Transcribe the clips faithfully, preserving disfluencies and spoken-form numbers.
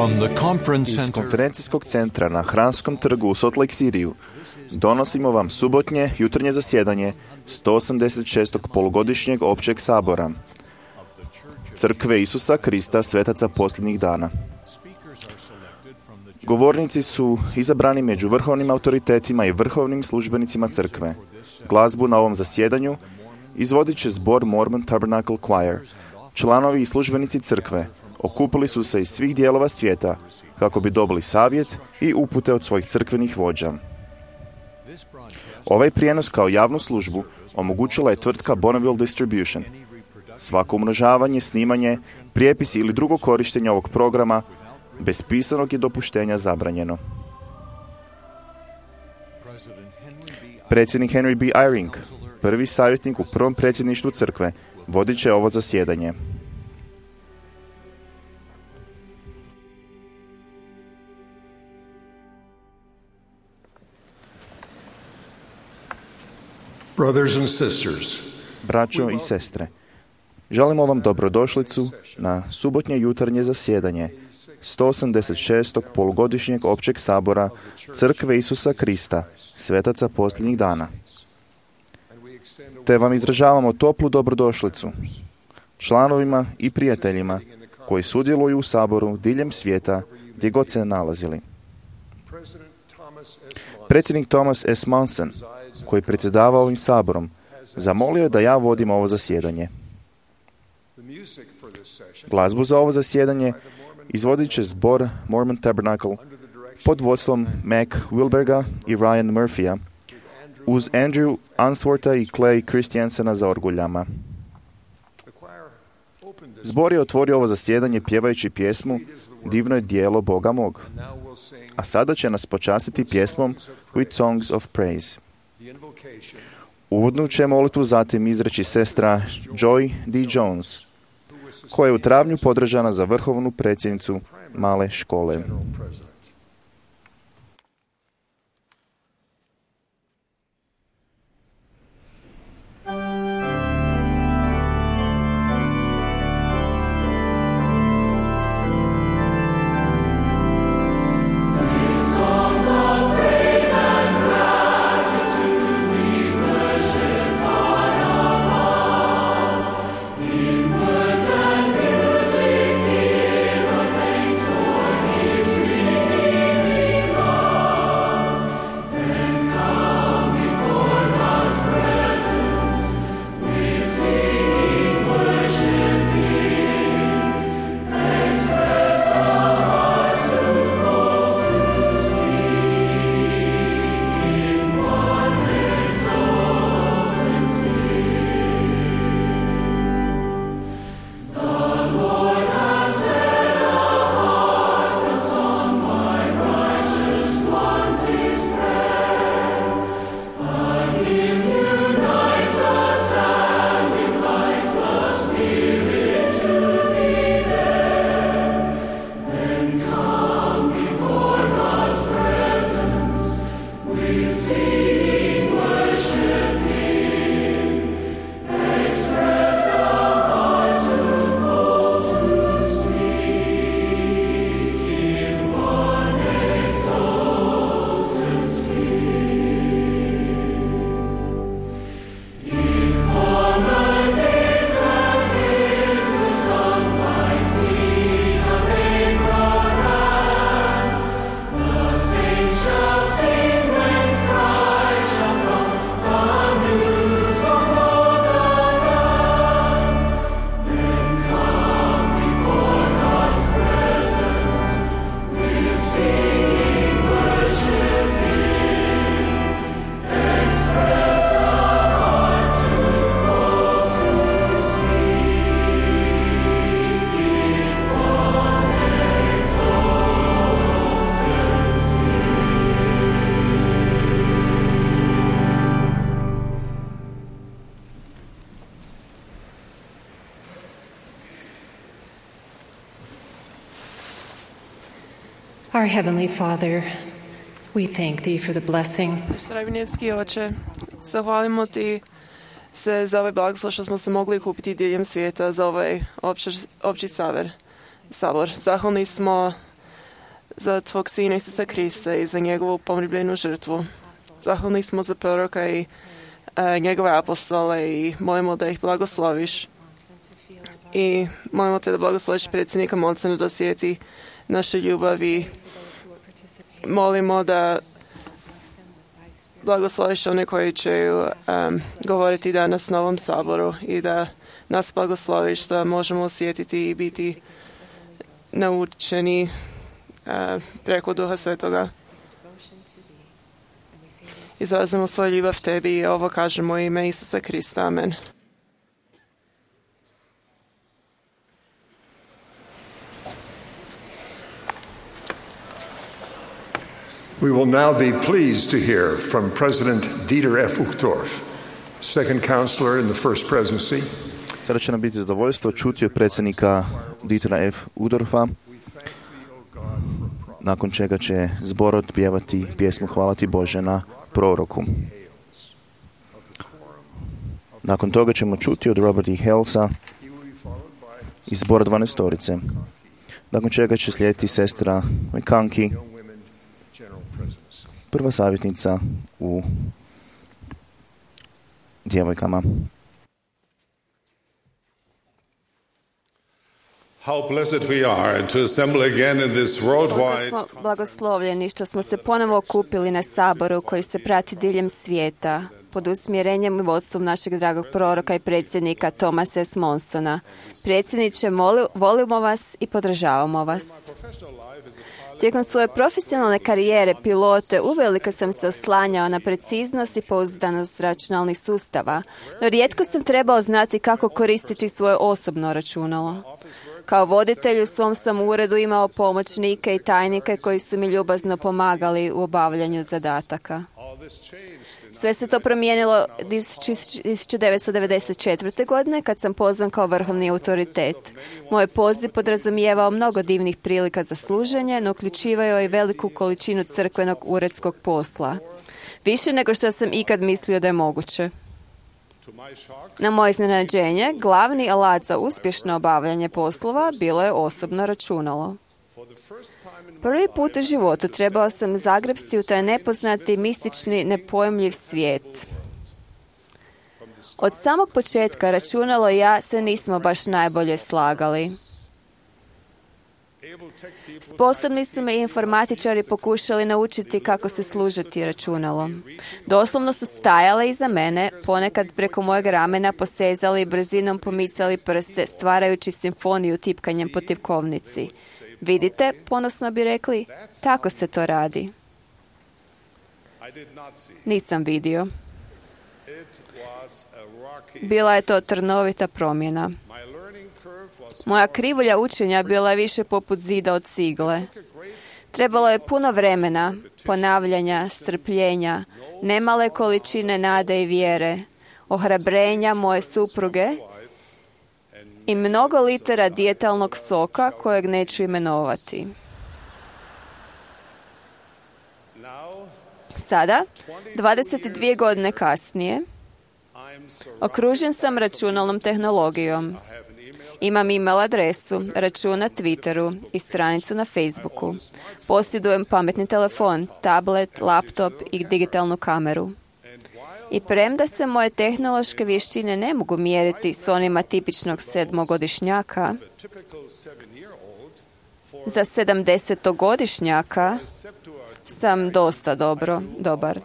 From the conference Iz center konferencijskog centra na Hramskom trgu u Salt Lake Cityu donosimo vam subotnje jutarnje zasjedanje sto osamdeset šestog polugodišnjeg općeg sabora Crkve Isusa Krista svetaca posljednjih dana. Govornici su izabrani među vrhovnim autoritetima i vrhovnim službenicima crkve. Glazbu na ovom zasjedanju izvodit će zbor Mormon Tabernacle Choir. Članovi i službenici crkve okupili su se iz svih dijelova svijeta kako bi dobili savjet i upute od svojih crkvenih vođa. Ovaj prijenos kao javnu službu omogućila je tvrtka Bonneville Distribution. Svako umnožavanje, snimanje, prijepis ili drugo korištenje ovog programa bez pisanog je dopuštenja zabranjeno. Predsjednik Henry B. Eyring, prvi savjetnik u prvom predsjedništvu crkve, vodit će ovo zasjedanje. Brothers and sisters, Braćo i sestre, želimo vam dobrodošlicu na subotnje jutarnje zasjedanje sto osamdeset šestog polugodišnjeg općeg sabora Crkve Isusa Krista, svetaca posljednjih dana. Te vam izražavamo toplu dobrodošlicu članovima i prijateljima koji sudjeluju u saboru diljem svijeta gdje god se nalazili. Predsjednik Thomas S. Monson, koji predsjedava ovim saborom, zamolio je da ja vodim ovo zasjedanje. Glazbu za ovo zasjedanje izvodit će zbor Mormon Tabernacle pod vodstvom Mac Wilberga i Ryan Murphya uz Andrew Unswortha i Clay Christiansena za orguljama. Zbor je otvorio ovo zasjedanje pjevajući pjesmu Divno je djelo Boga mog. A sada će nas počastiti pjesmom With Songs of Praise. Uvodnu će molitvu zatim izreći sestra Joy D. Jones, koja je u travnju podržana za vrhovnu predsjednicu male škole. Our Heavenly Father, we thank Thee for the blessing. Nebeský Oče, zahvalimo Ti se za ovaj blagoslov što smo se mogli kupiti diljem svijeta za ovaj opći, opći saver, sabor. Zahvalni smo za Tvog Sina Isusa Krista i za njegovu pomribljenu žrtvu. Zahvalni smo za proroka i e, njegove apostole i molimo da ih blagosloviš. I molimo te da blagosloviš predsjednika Monsona da osjeti naše ljubavi. Molimo da blagosloviš one koji će um, govoriti danas na ovom saboru i da nas blagosloviš da možemo osjetiti i biti naučeni uh, preko Duha Svetoga. Izrazimo svoju ljubav tebi i ovo kažemo u ime Isusa Krista. Amen. We will now be pleased to hear from President Dieter F. Uchtdorf, second counselor in the First Presidency. Sada će nam biti zadovoljstvo čuti od predsjednika Dietera F. Uchtdorfa, nakon čega će zbor otpjevati pjesmu Hvala ti Bože na proroku. Nakon toga ćemo čuti od Roberta E. Halesa iz zbora dvanaestorice, nakon čega će slijediti sestra McConkie, prva savjetnica u djevojkama. How blessed we are to assemble again in this worldwide. Koliko smo blagoslovljeni što smo se ponovo okupili na saboru koji se prati diljem svijeta pod usmjerenjem i vodstvom našeg dragog proroka i predsjednika Thomasa S. Monsona. Predsjedniče, moli, volimo vas i podržavamo vas. Tijekom svoje profesionalne karijere pilote uvelike sam se oslanjao na preciznost i pouzdanost računalnih sustava, no rijetko sam trebao znati kako koristiti svoje osobno računalo. Kao voditelj u svom sam uredu imao pomoćnike i tajnike koji su mi ljubazno pomagali u obavljanju zadataka. Sve se to promijenilo tisuću devetsto devedeset četvrte. godine kad sam pozvan kao vrhovni autoritet. Moj poziv podrazumijevao mnogo divnih prilika za služenje, no uključivao i veliku količinu crkvenog uredskog posla. Više nego što sam ikad mislio da je moguće. Na moje iznenađenje, glavni alat za uspješno obavljanje poslova bilo je osobno računalo. Prvi put u životu trebao sam zagrepsti u taj nepoznati, mistični, nepojmljiv svijet. Od samog početka računalo i ja se nismo baš najbolje slagali. Sposobni su me informatičari pokušali naučiti kako se služiti računalom. Doslovno su stajale iza mene, ponekad preko mojeg ramena posezali i brzinom pomicali prste, stvarajući simfoniju tipkanjem po tipkovnici. Vidite, ponosno bi rekli, tako se to radi. Nisam vidio. Bila je to trnovita promjena. Moja krivulja učenja bila je više poput zida od cigle. Trebalo je puno vremena, ponavljanja, strpljenja, nemale količine nade i vjere, ohrabrenja moje supruge i mnogo litera dijetalnog soka kojeg neću imenovati. Sada, dvadeset dvije godine kasnije, okružen sam računalnom tehnologijom. Imam email adresu, račun na Twitteru i stranicu na Facebooku. Posjedujem pametni telefon, tablet, laptop i digitalnu kameru. I premda se moje tehnološke vještine ne mogu mjeriti s onima tipičnog sedmogodišnjaka, za sedamdesetogodišnjaka sam dosta dobro, dobar.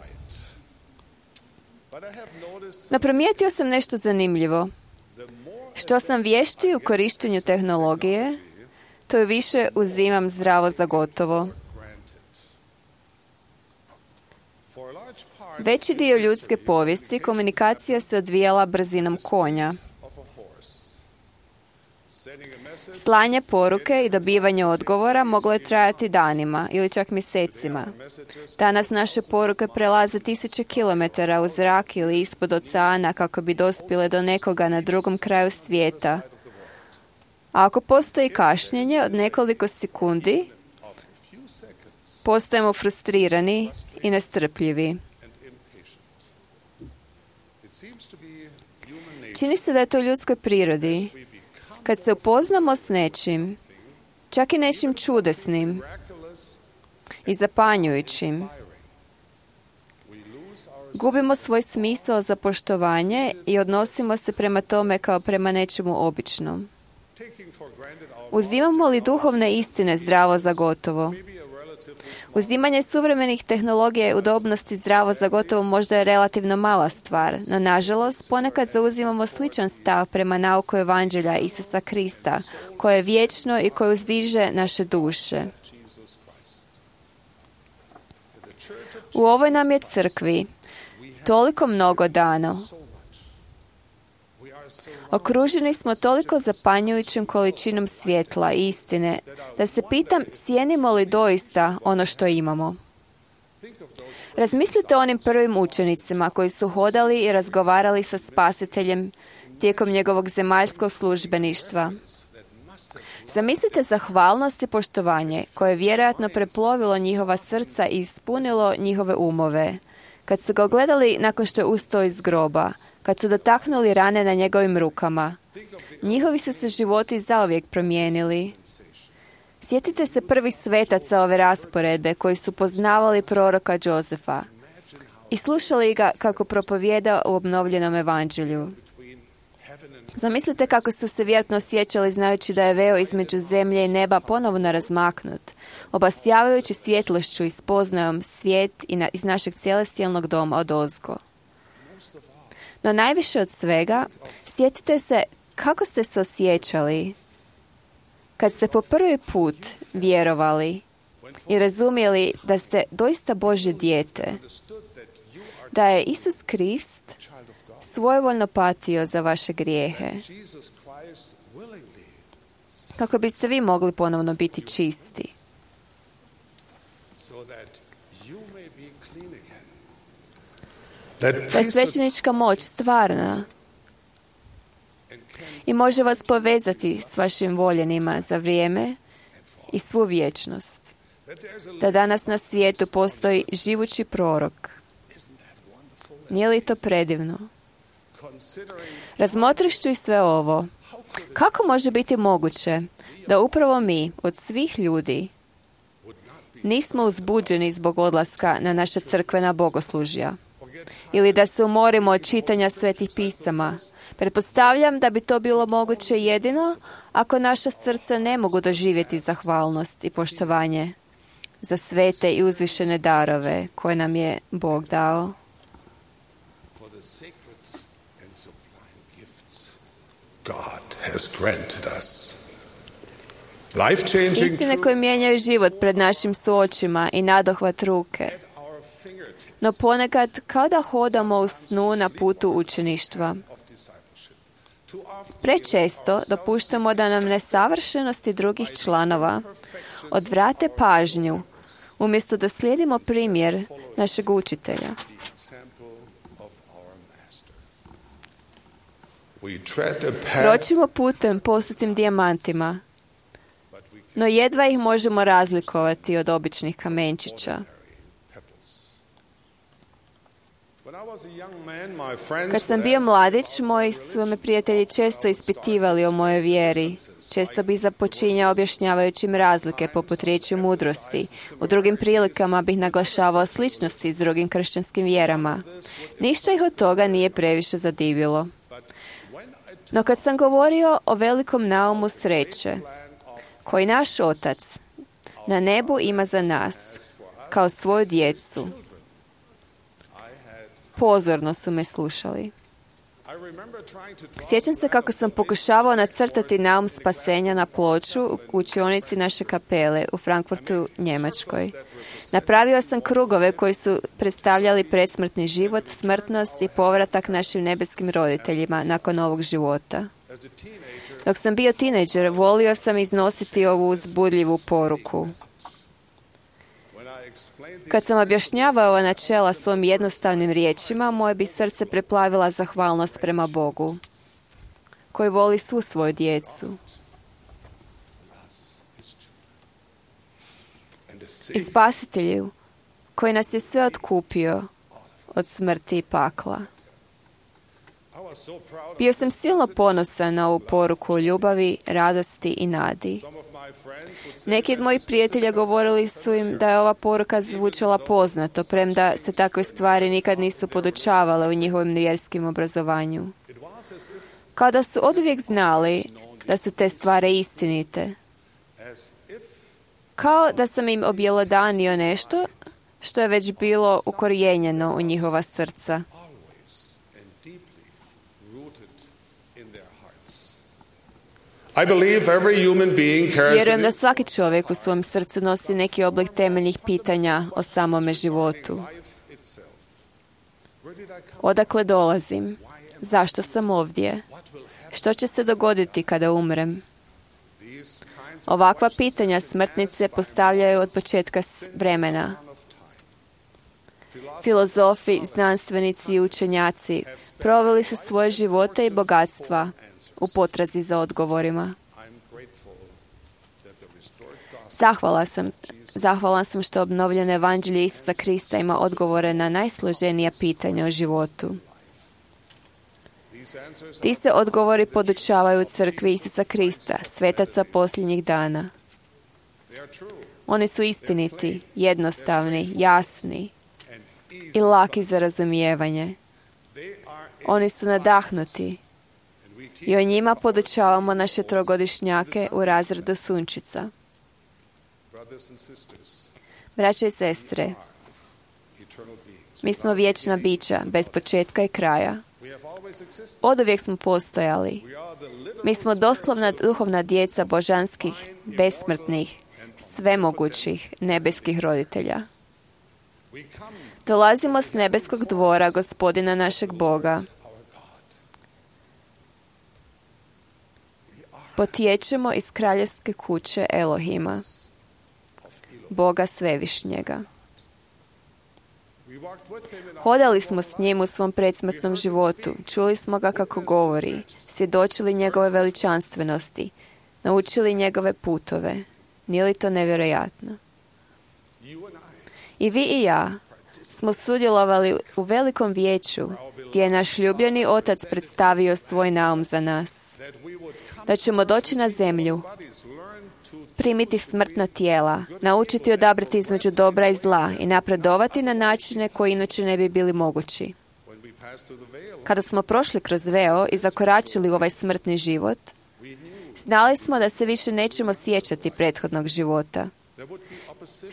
No primijetio sam nešto zanimljivo. Što sam vješći u korištenju tehnologije, to više uzimam zdravo za gotovo. Veći dio ljudske povijesti komunikacija se odvijala brzinom konja. Slanje poruke i dobivanje odgovora moglo je trajati danima ili čak mjesecima. Danas naše poruke prelaze tisuće kilometara u zrak ili ispod oceana kako bi dospjele do nekoga na drugom kraju svijeta. A ako postoji kašnjenje od nekoliko sekundi, postajemo frustrirani i nestrpljivi. Čini se da je to u ljudskoj prirodi. Kad se upoznamo s nečim, čak i nečim čudesnim, i zapanjujućim. Gubimo svoj smisao za poštovanje i odnosimo se prema tome kao prema nečemu običnom. Uzimamo li duhovne istine zdravo za gotovo? Uzimanje suvremenih tehnologija i udobnosti zdravo za gotovo možda je relativno mala stvar, no nažalost ponekad zauzimamo sličan stav prema nauku Evanđelja Isusa Krista, koje je vječno i koje uzdiže naše duše. U ovoj nam je crkvi toliko mnogo dano. Okruženi smo toliko zapanjujućim količinom svjetla i istine, da se pitam cijenimo li doista ono što imamo. Razmislite o onim prvim učenicima koji su hodali i razgovarali sa Spasiteljem tijekom njegovog zemaljskog službeništva. Zamislite zahvalnost i poštovanje koje je vjerojatno preplovilo njihova srca i ispunilo njihove umove. Kad su ga gledali nakon što je ustao iz groba, kad su dotaknuli rane na njegovim rukama, njihovi su se životi zauvijek promijenili. Sjetite se prvih svetaca ove rasporedbe koji su poznavali proroka Jozefa i slušali ga kako propovijeda u obnovljenom evanđelju. Zamislite kako su se vjerojatno osjećali znajući da je veo između zemlje i neba ponovno razmaknut, obasjavajući svjetlošću i spoznajom svijet iz našeg celestijalnog doma odozgo. No najviše od svega, sjetite se kako ste se osjećali kad ste po prvi put vjerovali i razumjeli da ste doista Božje dijete, da je Isus Krist svojevoljno patio za vaše grijehe, kako biste vi mogli ponovno biti čisti. Da je svećenička moć stvarna i može vas povezati s vašim voljenima za vrijeme i svu vječnost. Da danas na svijetu postoji živući prorok. Nije li to predivno? Razmotrišću i sve ovo, kako može biti moguće da upravo mi, od svih ljudi, nismo uzbuđeni zbog odlaska na naša crkvena bogoslužja? Ili da se umorimo od čitanja svetih pisama? Pretpostavljam da bi to bilo moguće jedino ako naša srca ne mogu doživjeti zahvalnost i poštovanje za svete i uzvišene darove koje nam je Bog dao. Istine koje mijenjaju život pred našim suočima i nadohvat ruke. No ponekad kao da hodamo u snu na putu učeništva. Prečesto dopuštamo da nam nesavršenosti drugih članova odvrate pažnju, umjesto da slijedimo primjer našeg učitelja. Kročimo putem posutim dijamantima, no jedva ih možemo razlikovati od običnih kamenčića. Kad sam bio mladić, moji su me prijatelji često ispitivali o mojoj vjeri. Često bih započinjao objašnjavajući im razlike poput riječi mudrosti. U drugim prilikama bih naglašavao sličnosti s drugim kršćanskim vjerama. Ništa ih od toga nije previše zadivilo. No kad sam govorio o velikom naumu sreće, koji naš Otac na nebu ima za nas, kao svoju djecu, pozorno su me slušali. Sjećam se kako sam pokušavao nacrtati naum spasenja na ploču u učionici naše kapele u Frankfurtu, Njemačkoj. Napravio sam krugove koji su predstavljali predsmrtni život, smrtnost i povratak našim nebeskim roditeljima nakon ovog života. Dok sam bio tinejdžer, volio sam iznositi ovu uzbudljivu poruku. Kad sam objašnjavao ova načela svojim jednostavnim riječima, moje bi srce preplavila zahvalnost prema Bogu, koji voli svu svoju djecu. I Spasitelju, koji nas je sve otkupio od smrti i pakla. Bio sam silno ponosan na ovu poruku o ljubavi, radosti i nadi. Neki od mojih prijatelja govorili su im da je ova poruka zvučala poznato, premda se takve stvari nikad nisu podučavale u njihovim vjerskim obrazovanju. Kao da su oduvijek znali da su te stvari istinite. Kao da sam im objelodanio nešto što je već bilo ukorijenjeno u njihova srca. I believe every human being carries Vjerujem da in svaki čovjek u svom srcu nosi neki oblik temeljnih pitanja o samome životu. Odakle dolazim? Zašto sam ovdje? Što će se dogoditi kada umrem? Ovakva pitanja smrtnice postavljaju od početka vremena. Filozofi, znanstvenici i učenjaci proveli su svoje živote i bogatstva u potrazi za odgovorima. Zahvala sam, zahvala sam što obnovljeno evanđelje Isusa Krista ima odgovore na najsloženija pitanja o životu. Ti se odgovori podučavaju u crkvi Isusa Krista, svetaca posljednjih dana. Oni su istiniti, jednostavni, jasni i laki za razumijevanje. Oni su nadahnuti i o njima podučavamo naše trogodišnjake u razredu sunčica. Braće i sestre, mi smo vječna bića, bez početka i kraja. Oduvijek smo postojali. Mi smo doslovna duhovna djeca božanskih, besmrtnih, svemogućih, nebeskih roditelja. Dolazimo s nebeskog dvora Gospodina našeg Boga. Potječemo iz kraljevske kuće Elohima, Boga Svevišnjega. Hodali smo s njim u svom predsmrtnom životu, čuli smo ga kako govori, svjedočili njegove veličanstvenosti, naučili njegove putove. Nije li to nevjerojatno? I vi i ja smo sudjelovali u velikom vijeću gdje je naš ljubljeni Otac predstavio svoj naum za nas. Da ćemo doći na zemlju, primiti smrtna tijela, naučiti odabrati između dobra i zla i napredovati na načine koji inače ne bi bili mogući. Kada smo prošli kroz veo i zakoračili u ovaj smrtni život, znali smo da se više nećemo sjećati prethodnog života.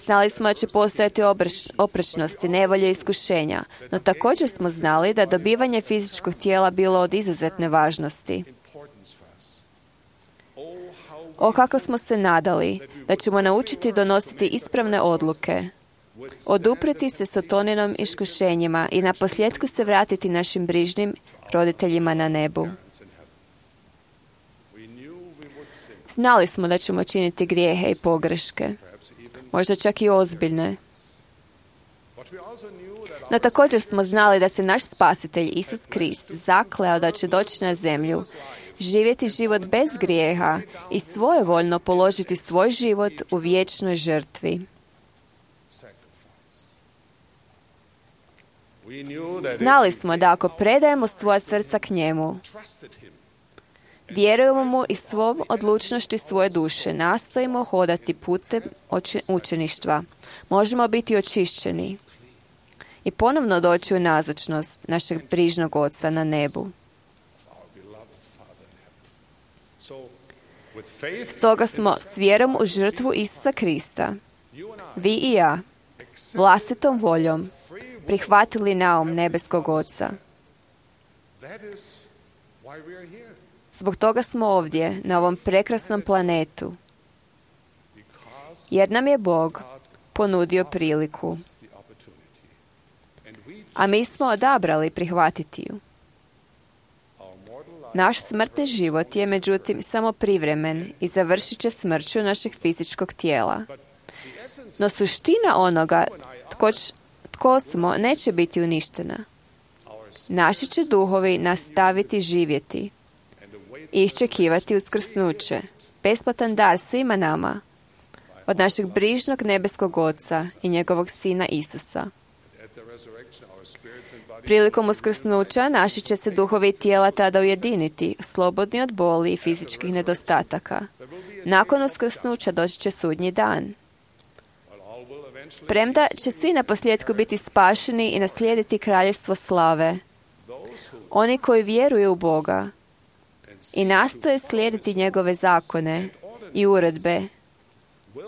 Znali smo da će postojati obreš, oprečnosti, nevolje i iskušenja, no također smo znali da dobivanje fizičkog tijela bilo od izuzetne važnosti. O, kako smo se nadali da ćemo naučiti donositi ispravne odluke, odupreti se sataninim iskušenjima i na posljedku se vratiti našim brižnim roditeljima na nebu. Znali smo da ćemo činiti grijehe i pogreške, možda čak i ozbiljne. No također smo znali da se naš spasitelj Isus Krist zakleo da će doći na zemlju, živjeti život bez grijeha i svojevoljno položiti svoj život u vječnoj žrtvi. Znali smo da ako predajemo svoja srca k njemu, vjerujemo mu i svom odlučnošću svoje duše, nastojimo hodati putem učeništva, možemo biti očišćeni i ponovno doći u nazočnost našeg brižnog Oca na nebu. Stoga smo s vjerom u žrtvu Isusa Krista, vi i ja, vlastitom voljom, prihvatili naum nebeskog Oca. Zbog toga smo ovdje, na ovom prekrasnom planetu, jer nam je Bog ponudio priliku. A mi smo odabrali prihvatiti ju. Naš smrtni život je, međutim, samo privremen i završit će smrću našeg fizičkog tijela. No suština onoga tko, tko smo neće biti uništena. Naši će duhovi nastaviti živjeti i iščekivati uskrsnuće, besplatan dar svima nama, od našeg brižnog nebeskog Oca i njegovog Sina Isusa. Prilikom uskrsnuća naši će se duhovi i tijela tada ujediniti, slobodni od boli i fizičkih nedostataka. Nakon uskrsnuća doći će sudnji dan. Premda će svi na posljedku biti spašeni i naslijediti kraljevstvo slave, oni koji vjeruju u Boga i nastoje slijediti njegove zakone i uredbe,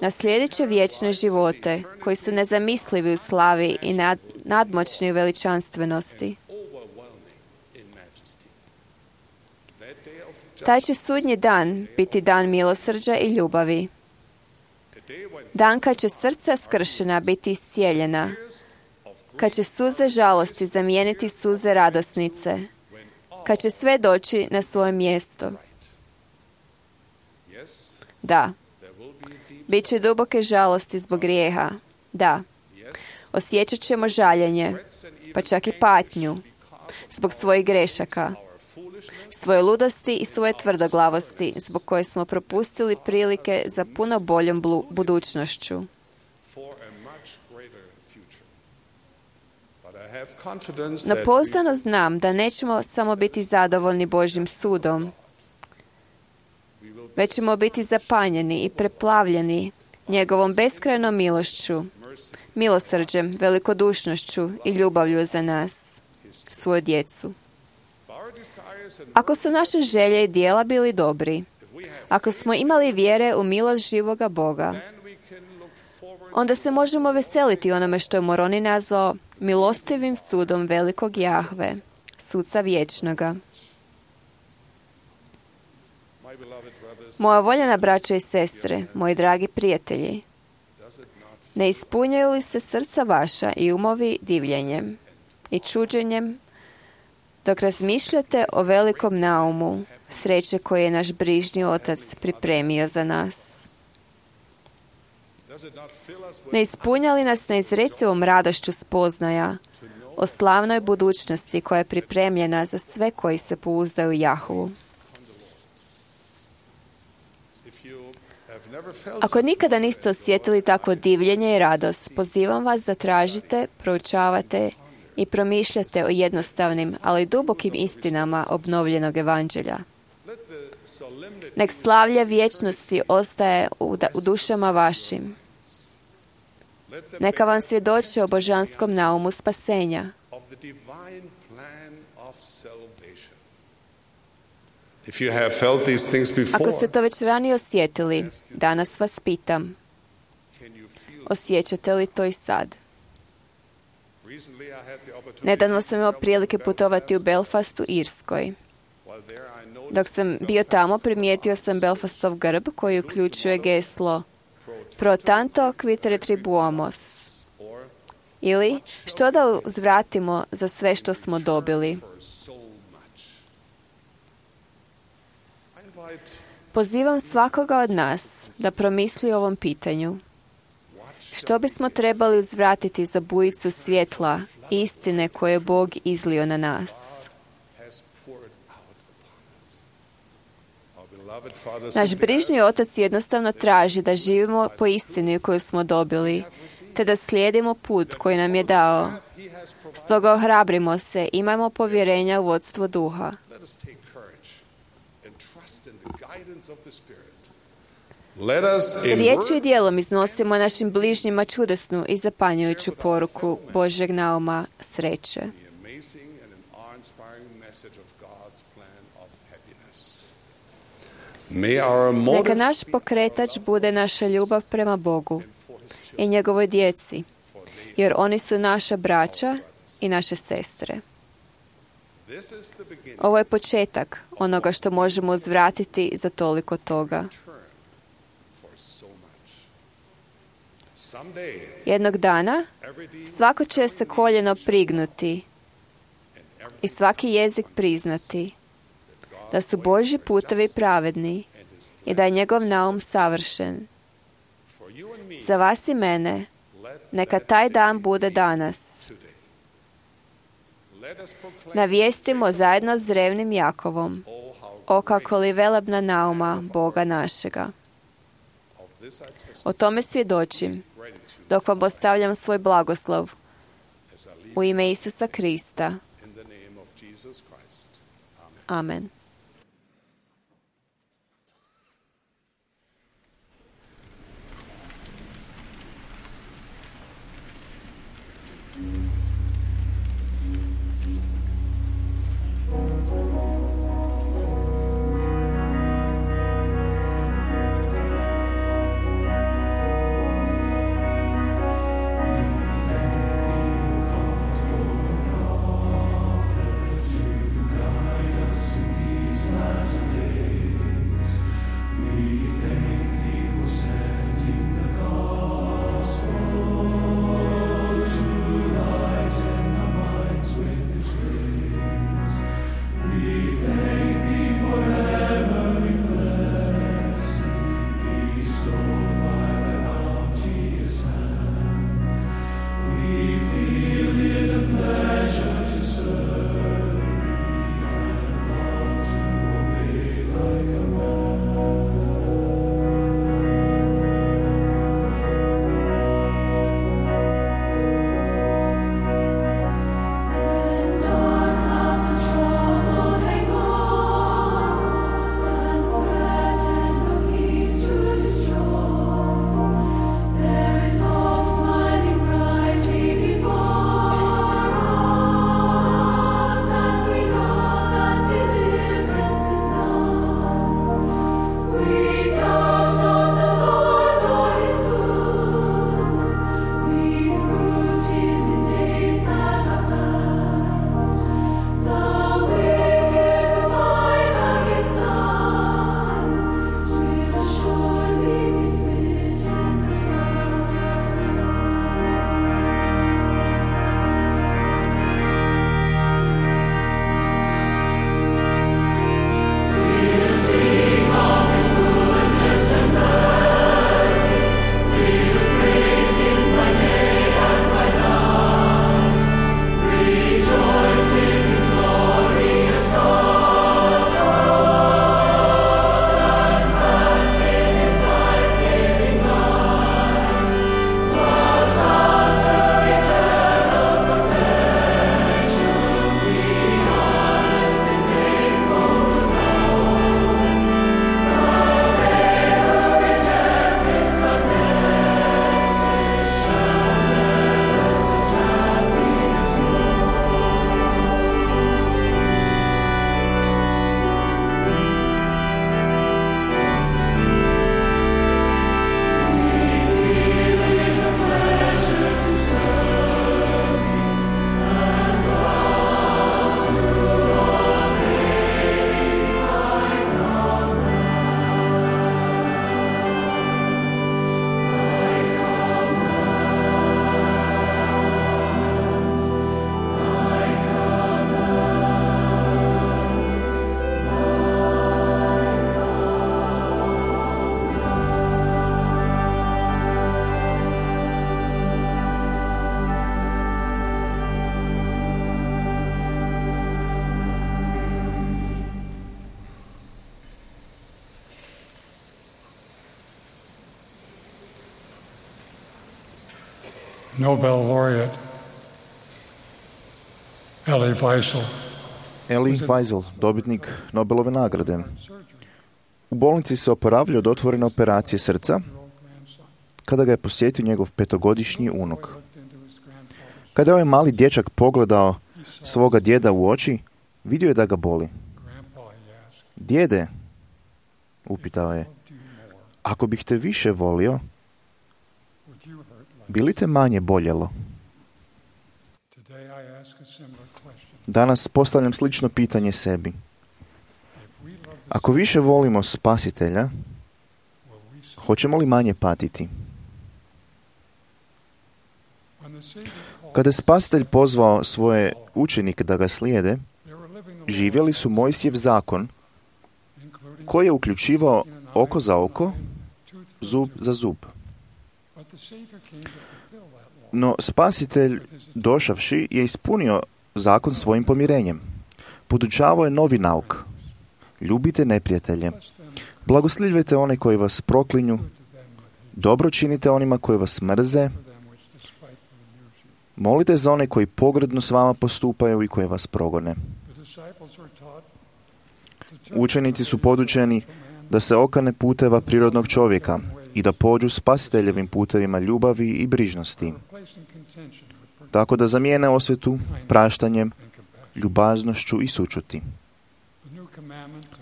naslijedit će vječne živote koji su nezamislivi u slavi i nad, nadmoćni u veličanstvenosti. Taj će sudnji dan biti dan milosrđa i ljubavi. Dan kad će srca skršena biti iscijeljena, kad će suze žalosti zamijeniti suze radosnice, kad će sve doći na svoje mjesto. Da, bit će duboke žalosti zbog grijeha. Da, osjećat ćemo žaljenje, pa čak i patnju, zbog svojih grešaka, svoje ludosti i svoje tvrdoglavosti, zbog koje smo propustili prilike za puno boljom blu- budućnošću. No pouzdano znam da nećemo samo biti zadovoljni Božjim sudom, već ćemo biti zapanjeni i preplavljeni njegovom beskrajnom milošću, milosrđem, velikodušnošću i ljubavlju za nas, svoju djecu. Ako su naše želje i djela bili dobri, ako smo imali vjere u milost živoga Boga, onda se možemo veseliti onome što je Moroni nazvao milostivim sudom velikog Jahve, suca vječnoga. Moja voljena braća i sestre, moji dragi prijatelji, ne ispunjaju li se srca vaša i umovi divljenjem i čuđenjem dok razmišljate o velikom naumu sreće koje je naš brižni Otac pripremio za nas? Ne ispunja li nas neizrecivom radošću spoznaja o slavnoj budućnosti koja je pripremljena za sve koji se pouzdaju u Jahvu? Ako nikada niste osjetili takvo divljenje i radost, pozivam vas da tražite, proučavate i promišljate o jednostavnim, ali dubokim istinama obnovljenog evanđelja. Nek slavlje vječnosti ostaje u, da, u dušama vašim. Neka vam svjedoči o božanskom naumu spasenja. Ako ste to već ranije osjetili, danas vas pitam, osjećate li to i sad? Nedavno sam imao prilike putovati u Belfastu, Irskoj. Dok sam bio tamo, primijetio sam Belfastov grb koji uključuje geslo Pro tanto quid retribuamos, ili što da uzvratimo za sve što smo dobili. Pozivam svakoga od nas da promisli o ovom pitanju. Što bismo trebali uzvratiti za bujicu svjetla i istine koje je Bog izlio na nas? Naš brižni Otac jednostavno traži da živimo po istini koju smo dobili, te da slijedimo put koji nam je dao. Stoga ohrabrimo se, imajmo povjerenja u vodstvo duha. Riječju i dijelom iznosimo našim bližnjima čudesnu i zapanjujuću poruku Božjeg nauma sreće. Neka naš pokretač bude naša ljubav prema Bogu i njegovoj djeci, jer oni su naša braća i naše sestre. Ovo je početak onoga što možemo uzvratiti za toliko toga. Jednog dana svako će se koljeno prignuti i svaki jezik priznati da su Božji putevi pravedni i da je njegov naum savršen. Za vas i mene, neka taj dan bude danas. Navijestimo zajedno s drevnim Jakovom, o kako li velebna nauma Boga našega. O tome svjedočim, dok vam ostavljam svoj blagoslov, U ime Isusa Krista. Amen. Nobel laureate Elie Wiesel. Elie Wiesel, dobitnik Nobelove nagrade. U bolnici se oporavljao od otvorene operacije srca kada ga je posjetio njegov petogodišnji unuk. Kada je ovaj mali dječak pogledao svoga djeda u oči, vidio je da ga boli. Djede, upitao je, ako bih te više volio, bi li te manje boljelo? Danas postavljam slično pitanje sebi. Ako više volimo Spasitelja, hoćemo li manje patiti? Kada je Spasitelj pozvao svoje učenike da ga slijede, živjeli su Mojsijev zakon, koji je uključivao oko za oko, zub za zub. No Spasitelj, došavši, je ispunio zakon svojim pomirenjem. Podučavao je novi nauk. Ljubite neprijatelje. Blagoslivljajte one koji vas proklinju. Dobro činite onima koji vas mrze. Molite za one koji pogrdno s vama postupaju i koji vas progone. Učenici su podučeni da se okane puteva prirodnog čovjeka i da pođu spasiteljevim putevima ljubavi i brižnosti. Tako da zamijene osvetu praštanjem, ljubaznošću i sućuti.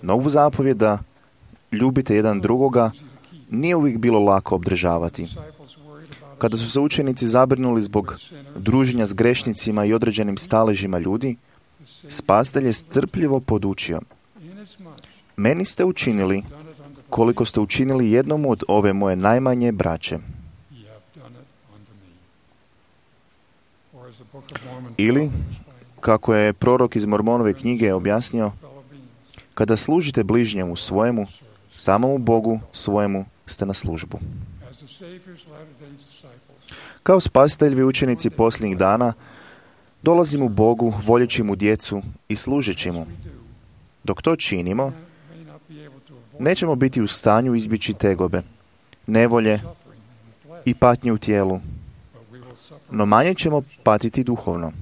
Novu zapovjed da ljubite jedan drugoga nije uvijek bilo lako obdržavati. Kada su se učenici zabrinuli zbog druženja s grešnicima i određenim staležima ljudi, spasitelj je strpljivo podučio: meni ste učinili koliko ste učinili jednom od ove moje najmanje braće. Ili, kako je prorok iz Mormonove knjige objasnio, kada služite bližnjemu svojemu, samomu Bogu svojemu ste na službu. Kao spasiteljevi učenici posljednjih dana dolazimo Bogu, voljeći mu djecu i služeći mu. Dok to činimo, nećemo biti u stanju izbjeći tegobe, nevolje i patnje u tijelu, no manje ćemo patiti duhovno.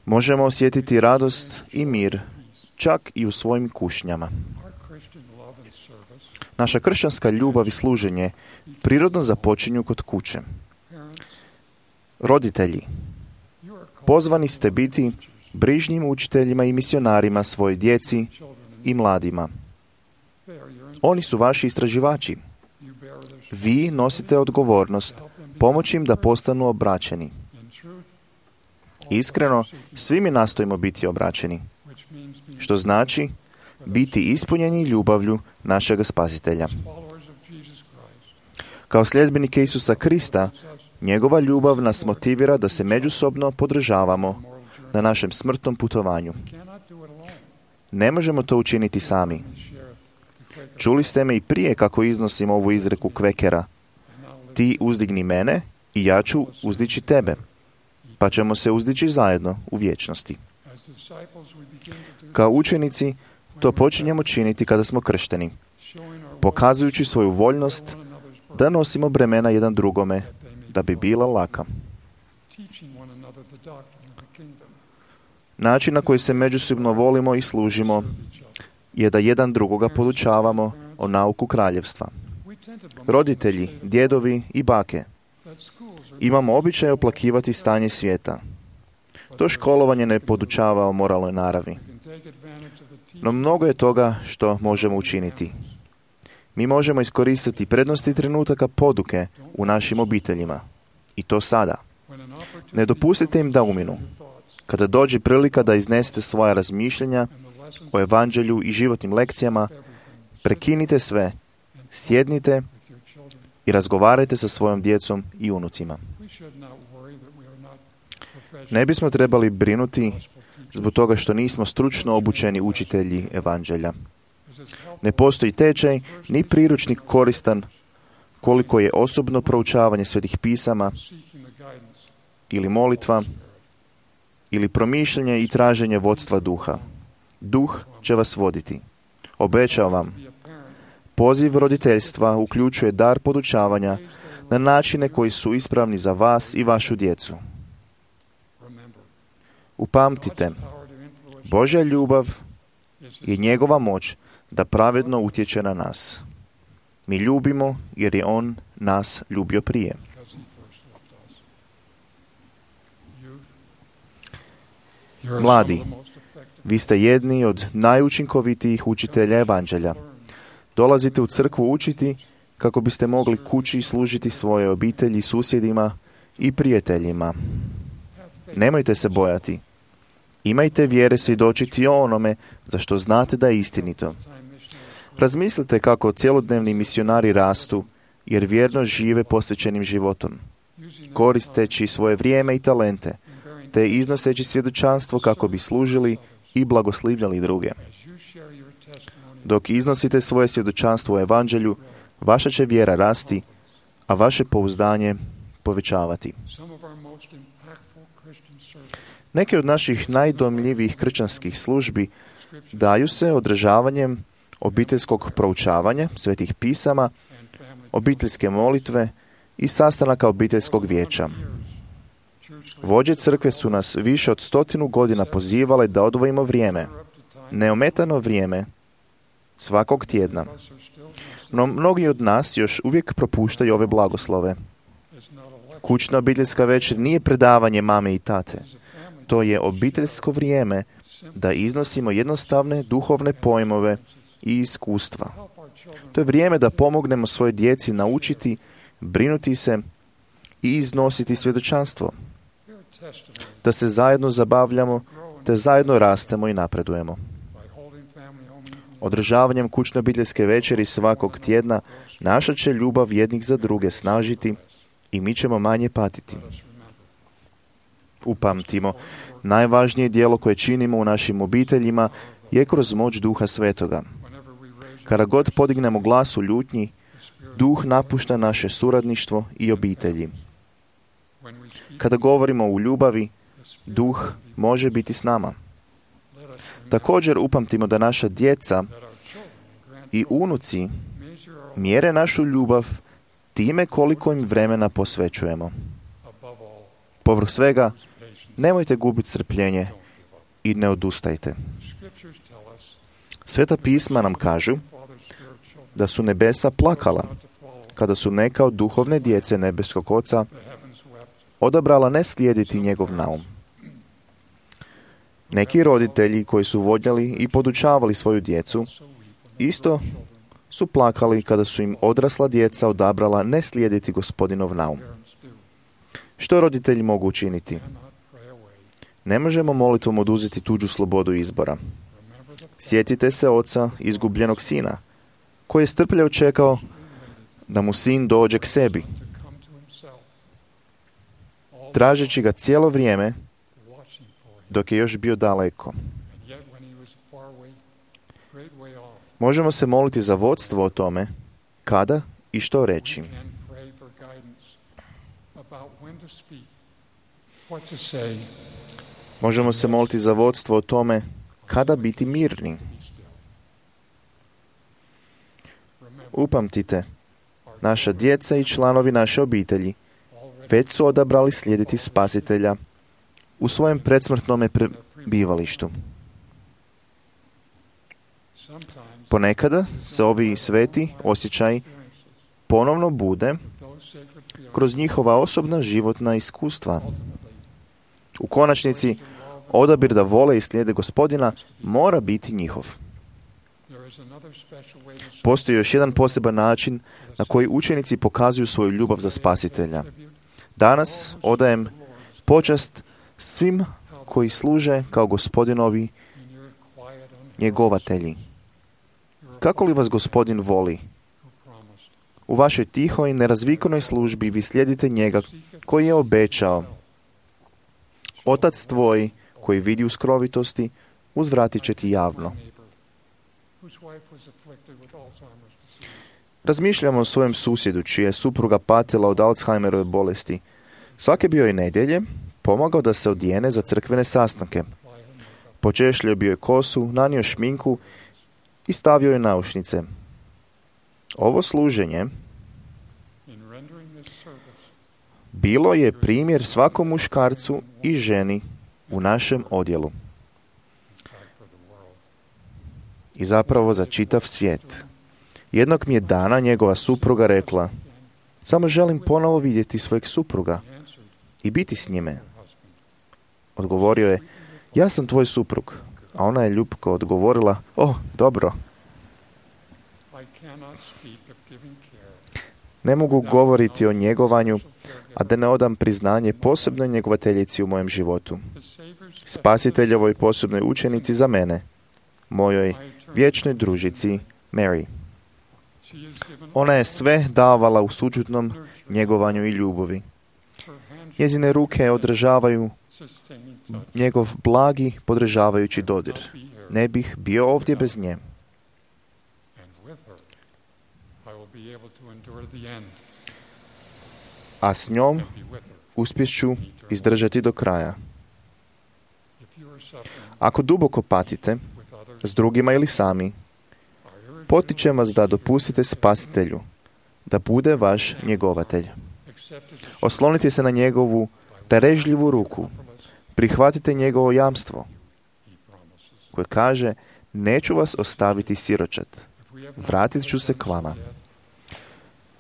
Možemo osjetiti radost i mir, čak i u svojim kušnjama. Naša kršćanska ljubav i služenje prirodno započinju kod kuće. Roditelji, pozvani ste biti brižnim učiteljima i misionarima svojoj djeci i mladima. Oni su vaši istraživači. Vi nosite odgovornost pomoći im da postanu obraćeni. Iskreno, svi mi nastojimo biti obraćeni, što znači biti ispunjeni ljubavlju našega Spasitelja. Kao sljedbenike Isusa Krista, njegova ljubav nas motivira da se međusobno podržavamo na našem smrtnom putovanju. Ne možemo to učiniti sami. Čuli ste me i prije kako iznosim ovu izreku Kvekera: ti uzdigni mene i ja ću uzdići tebe, pa ćemo se uzdići zajedno u vječnosti. Kao učenici to počinjemo činiti kada smo kršteni, pokazujući svoju voljnost da nosimo bremena jedan drugome, da bi bila laka. Način na koji se međusobno volimo i služimo je da jedan drugoga podučavamo o nauku kraljevstva. Roditelji, djedovi i bake, imamo običaj oplakivati stanje svijeta. To školovanje ne podučava o moralnoj naravi. No mnogo je toga što možemo učiniti. Mi možemo iskoristiti prednosti trenutaka poduke u našim obiteljima. I to sada. Ne dopustite im da uminu. Kada dođe prilika da iznesete svoja razmišljanja o evanđelju i životnim lekcijama, prekinite sve, sjednite i razgovarajte sa svojom djecom i unucima. Ne bismo trebali brinuti zbog toga što nismo stručno obučeni učitelji evanđelja. Ne postoji tečaj ni priručnik koristan koliko je osobno proučavanje svetih pisama ili molitva ili promišljanje i traženje vodstva duha. Duh će vas voditi. Obećavam vam, poziv roditeljstva uključuje dar podučavanja na načine koji su ispravni za vas i vašu djecu. Upamtite, Božja ljubav je njegova moć da pravedno utječe na nas. Mi ljubimo jer je on nas ljubio prije. Mladi, vi ste jedni od najučinkovitijih učitelja evanđelja. Dolazite u crkvu učiti kako biste mogli kući služiti svoje obitelji, susjedima i prijateljima. Nemojte se bojati. Imajte vjere svjedočiti o onome za što znate da je istinito. Razmislite kako cjelodnevni misionari rastu, jer vjerno žive posvećenim životom, koristeći svoje vrijeme i talente, te iznoseći svjedočanstvo kako bi služili i blagoslivljali druge. Dok iznosite svoje svjedočanstvo u evanđelju, vaša će vjera rasti, a vaše pouzdanje povećavati. Neke od naših najdojmljivijih kršćanskih službi daju se održavanjem obiteljskog proučavanja svetih pisama, obiteljske molitve i sastanaka obiteljskog vijeća. Vođe crkve su nas više od stotinu godina pozivale da odvojimo vrijeme, neometano vrijeme, svakog tjedna. No mnogi od nas još uvijek propuštaju ove blagoslove. Kućna obiteljska večer nije predavanje mame i tate. To je obiteljsko vrijeme da iznosimo jednostavne duhovne pojmove i iskustva. To je vrijeme da pomognemo svoje djeci naučiti, brinuti se i iznositi svjedočanstvo. Da se zajedno zabavljamo, te zajedno rastemo i napredujemo. Održavanjem kućne obiteljske večeri svakog tjedna naša će ljubav jednih za druge snažiti i mi ćemo manje patiti. Upamtimo, najvažnije djelo koje činimo u našim obiteljima je kroz moć Duha Svetoga. Kada god podignemo glas u ljutnji, Duh napušta naše suradništvo i obitelji. Kada govorimo u ljubavi, Duh može biti s nama. Također upamtimo da naša djeca i unuci mjere našu ljubav time koliko im vremena posvećujemo. Povrh svega, nemojte gubiti strpljenje i ne odustajte. Sveta pisma nam kažu da su nebesa plakala kada su neka od duhovne djece nebeskog Oca odabrala ne slijediti njegov naum. Neki roditelji koji su vodljali i podučavali svoju djecu isto su plakali kada su im odrasla djeca odabrala ne slijediti Gospodinov naum. Što roditelji mogu učiniti? Ne možemo molitvom oduzeti tuđu slobodu izbora. Sjetite se oca izgubljenog sina, koji je strpljivo čekao da mu sin dođe k sebi, tražeći ga cijelo vrijeme dok je još bio daleko. Možemo se moliti za vodstvo o tome kada i što reći. Možemo se moliti za vodstvo o tome kada biti mirni. Upamtite, naša djeca i članovi naše obitelji već su odabrali slijediti Spasitelja u svojem predsmrtnome prebivalištu. Ponekada se ovi sveti osjećaji ponovno bude kroz njihova osobna životna iskustva. U konačnici, odabir da vole i slijede Gospodina mora biti njihov. Postoji još jedan poseban način na koji učenici pokazuju svoju ljubav za Spasitelja. Danas odajem počast svim koji služe kao Gospodinovi njegovatelji. Kako li vas Gospodin voli? U vašoj tihoj, nerazvikanoj službi vi slijedite njega koji je obećao: Otac tvoj koji vidi u skrovitosti, uzvratit će ti javno. Razmišljamo o svojem susjedu čija je supruga patila od Alzheimerove bolesti. Svake bio je nedjelje pomogao da se odijene za crkvene sastanke. Počešljio bio je kosu, nanio šminku i stavio je naušnice. Ovo služenje bilo je primjer svakom muškarcu i ženi u našem odjelu. I zapravo za čitav svijet. Jednog mi je dana njegova supruga rekla: samo želim ponovo vidjeti svojeg supruga i biti s njime. Odgovorio je: ja sam tvoj suprug. A ona je ljubko odgovorila: o, dobro. Ne mogu govoriti o njegovanju, a da ne odam priznanje posebnoj njegovateljici u mojem životu. Spasiteljovoj posebnoj učenici za mene, mojoj vječnoj družici Mary. Ona je sve davala u sućutnom njegovanju i ljubavi. Njezine ruke održavaju njegov blagi, podržavajući dodir. Ne bih bio ovdje bez nje. A s njom uspjeću izdržati do kraja. Ako duboko patite, s drugima ili sami, potičem vas da dopustite Spasitelju da bude vaš njegovatelj. Oslonite se na njegovu darežljivu ruku. Prihvatite njegovo jamstvo koje kaže: neću vas ostaviti siročad. Vratit ću se k vama.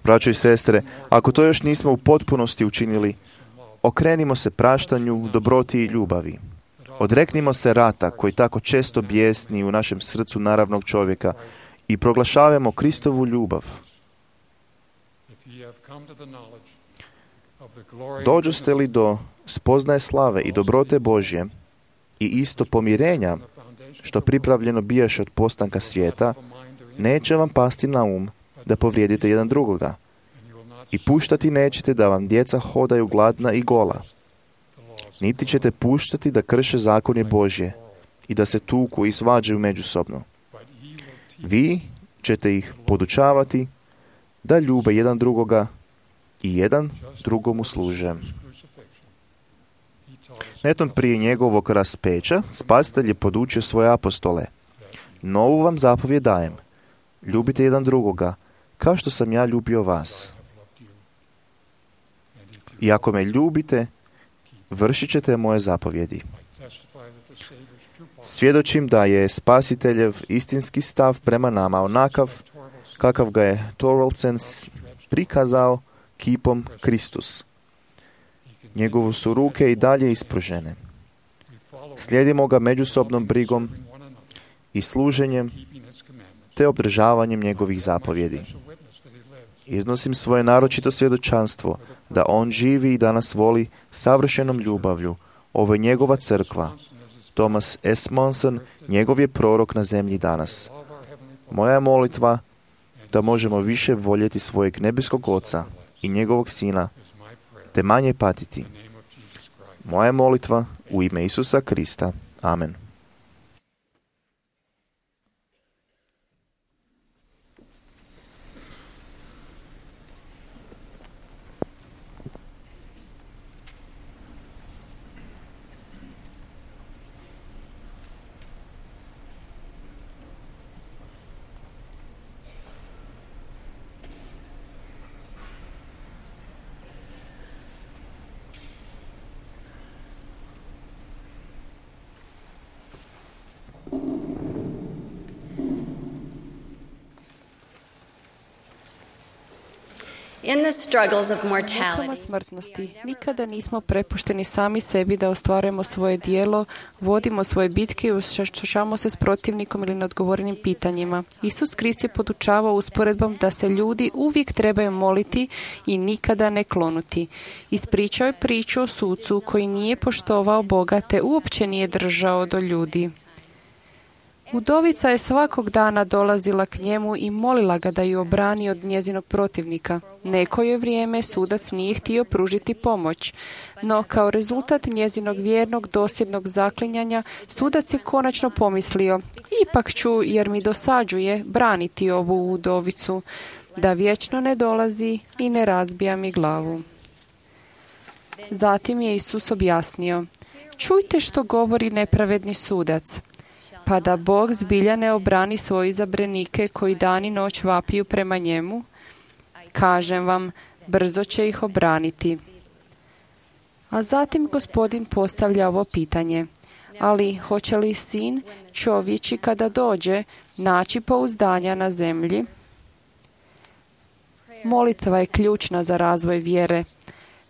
Braćo i sestre, ako to još nismo u potpunosti učinili, okrenimo se praštanju, dobroti i ljubavi. Odreknimo se rata koji tako često bijesni u našem srcu naravnog čovjeka i proglašavamo Kristovu ljubav. Dođoste li do spoznaje slave i dobrote Božje i isto pomirenja što pripravljeno bijaše od postanka svijeta, neće vam pasti na um da povrijedite jedan drugoga i puštati nećete da vam djeca hodaju gladna i gola. Niti ćete puštati da krše zakonje Božje i da se tuku i svađaju međusobno. Vi ćete ih podučavati da ljube jedan drugoga i jedan drugomu služe. Netom prije njegovog raspeća Spasitelj je podučio svoje apostole: novu vam zapovijed dajem, ljubite jedan drugoga kao što sam ja ljubio vas. I ako me ljubite, vršit ćete moje zapovjedi. Svjedočim da je Spasiteljev istinski stav prema nama onakav kakav ga je Thorvaldsen prikazao kipom Kristus. Njegovu su ruke i dalje ispružene. Slijedimo ga međusobnom brigom i služenjem te obdržavanjem njegovih zapovjedi. Iznosim svoje naročito svjedočanstvo da on živi i da nas voli savršenom ljubavlju. Ovo je njegova crkva. Thomas S. Monson, njegov je prorok na zemlji danas. Moja je molitva da možemo više voljeti svojeg nebeskog Oca i njegovog Sina, te manje patiti. Moja je molitva u ime Isusa Krista. Amen. In the struggles of Mukama mortality, smrtnosti nikada nismo prepušteni sami sebi da ostvarujemo svoje dijelo, vodimo svoje bitke i suočavamo se s protivnikom ili neodgovorenim pitanjima. Isus Krist je podučavao usporedbom da se ljudi uvijek trebaju moliti i nikada ne klonuti. Ispričao je priču o sucu koji nije poštovao Boga te uopće nije držao do ljudi. Udovica je svakog dana dolazila k njemu i molila ga da ju obrani od njezinog protivnika. Neko je vrijeme sudac nije htio pružiti pomoć, no kao rezultat njezinog vjernog dosljednog zaklinjanja sudac je konačno pomislio: ipak ću, jer mi dosađuje, braniti ovu udovicu, da vječno ne dolazi i ne razbija mi glavu. Zatim je Isus objasnio: čujte što govori nepravedni sudac. Pa da Bog zbilja ne obrani svoje izabranike koji dan i noć vapiju prema njemu, kažem vam, brzo će ih obraniti. A zatim Gospodin postavlja ovo pitanje: ali hoće li sin čovječi kada dođe naći pouzdanja na zemlji? Molitva je ključna za razvoj vjere.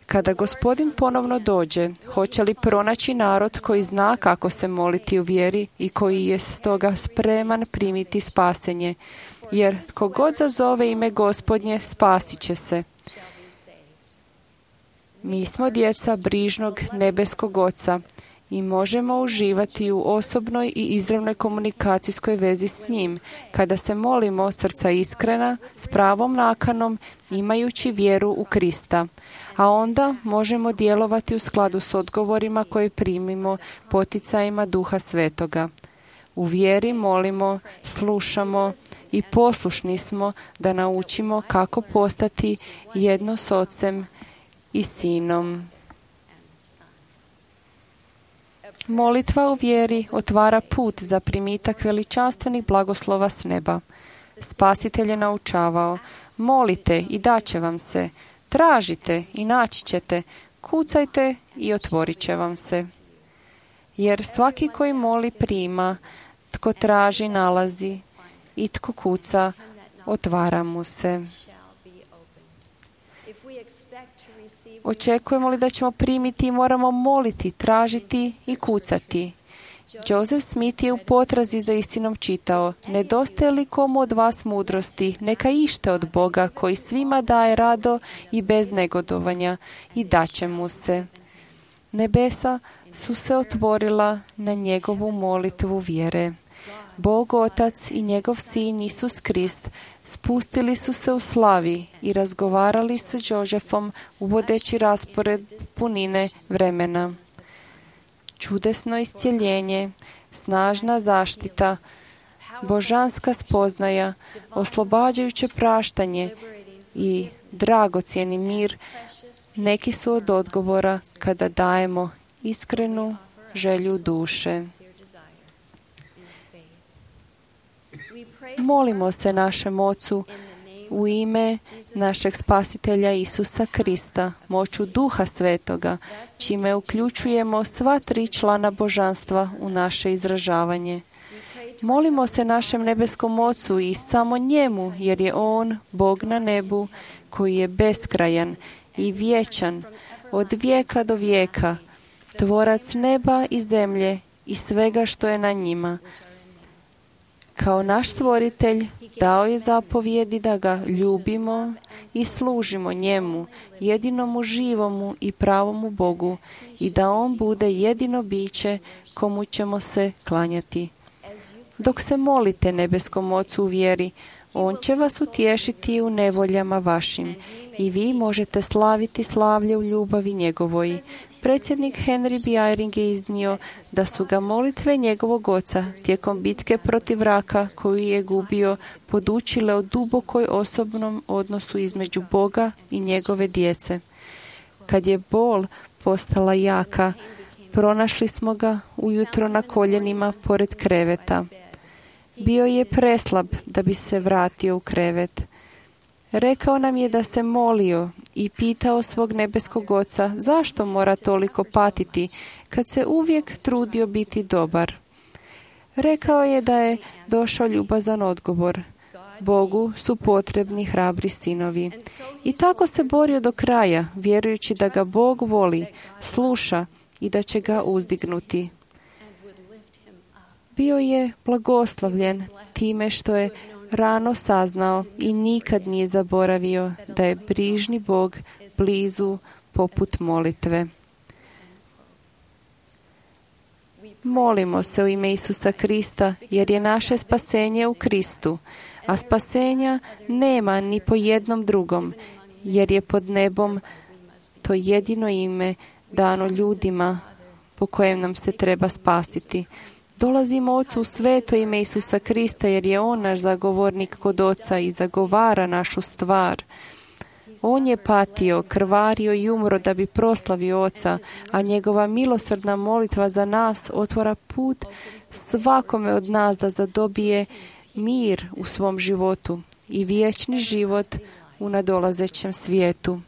Kada Gospodin ponovno dođe, hoće li pronaći narod koji zna kako se moliti u vjeri i koji je stoga spreman primiti spasenje? Jer tko god zazove ime Gospodnje, spasit će se. Mi smo djeca brižnog nebeskog Oca i možemo uživati u osobnoj i izravnoj komunikacijskoj vezi s njim, kada se molimo srca iskrena, s pravom nakanom, imajući vjeru u Krista. A onda možemo djelovati u skladu s odgovorima koje primimo poticajima Duha Svetoga. U vjeri molimo, slušamo i poslušni smo da naučimo kako postati jedno s Ocem i Sinom. Molitva u vjeri otvara put za primitak veličanstvenih blagoslova s neba. Spasitelj je naučavao: molite i daće vam se, Tražite i naći ćete, kucajte i otvorit će vam se. Jer svaki koji moli prima, tko traži nalazi i tko kuca, otvara mu se. Očekujemo li da ćemo primiti i moramo moliti, tražiti i kucati? Joseph Smith je u potrazi za istinom čitao: nedostaje li komu od vas mudrosti, neka ište od Boga koji svima daje rado i bez negodovanja i daće mu se. Nebesa su se otvorila na njegovu molitvu vjere. Bog Otac i njegov Sin Isus Krist spustili su se u slavi i razgovarali sa Josephom uvodeći raspored punine vremena. Čudesno iscjeljenje, snažna zaštita, božanska spoznaja, oslobađajuće praštanje i dragocjeni mir neki su od odgovora kada dajemo iskrenu želju duše. Molimo se našem Ocu u ime našeg Spasitelja Isusa Krista, moću Duha Svetoga, čime uključujemo sva tri člana božanstva u naše izražavanje. Molimo se našem nebeskom Ocu i samo njemu, jer je On, Bog na nebu, koji je beskrajan i vječan, od vijeka do vijeka, tvorac neba i zemlje i svega što je na njima. Kao naš stvoritelj dao je zapovjedi da ga ljubimo i služimo njemu, jedinomu živomu i pravomu Bogu, i da on bude jedino biće komu ćemo se klanjati. Dok se molite nebeskom Ocu u vjeri, on će vas utješiti u nevoljama vašim i vi možete slaviti slavlje u ljubavi njegovoj. Predsjednik Henry B. Eyring je iznio da su ga molitve njegovog oca tijekom bitke protiv raka koju je gubio podučile o dubokoj osobnom odnosu između Boga i njegove djece. Kad je bol postala jaka, pronašli smo ga ujutro na koljenima pored kreveta. Bio je preslab da bi se vratio u krevet. Rekao nam je da se molio i pitao svog nebeskog Oca zašto mora toliko patiti kad se uvijek trudio biti dobar. Rekao je da je došao ljubazan odgovor. Bogu su potrebni hrabri sinovi. I tako se borio do kraja, vjerujući da ga Bog voli, sluša i da će ga uzdignuti. Bio je blagoslovljen time što je rano saznao i nikad nije zaboravio da je brižni Bog blizu poput molitve. Molimo se u ime Isusa Krista, jer je naše spasenje u Kristu, a spasenja nema ni po jednom drugom, jer je pod nebom to jedino ime dano ljudima po kojem nam se treba spasiti. Dolazimo Ocu u sveto ime Isusa Krista, jer je On naš zagovornik kod Oca i zagovara našu stvar. On je patio, krvario i umro da bi proslavio Oca, a njegova milosrdna molitva za nas otvara put svakome od nas da zadobije mir u svom životu i vječni život u nadolazećem svijetu.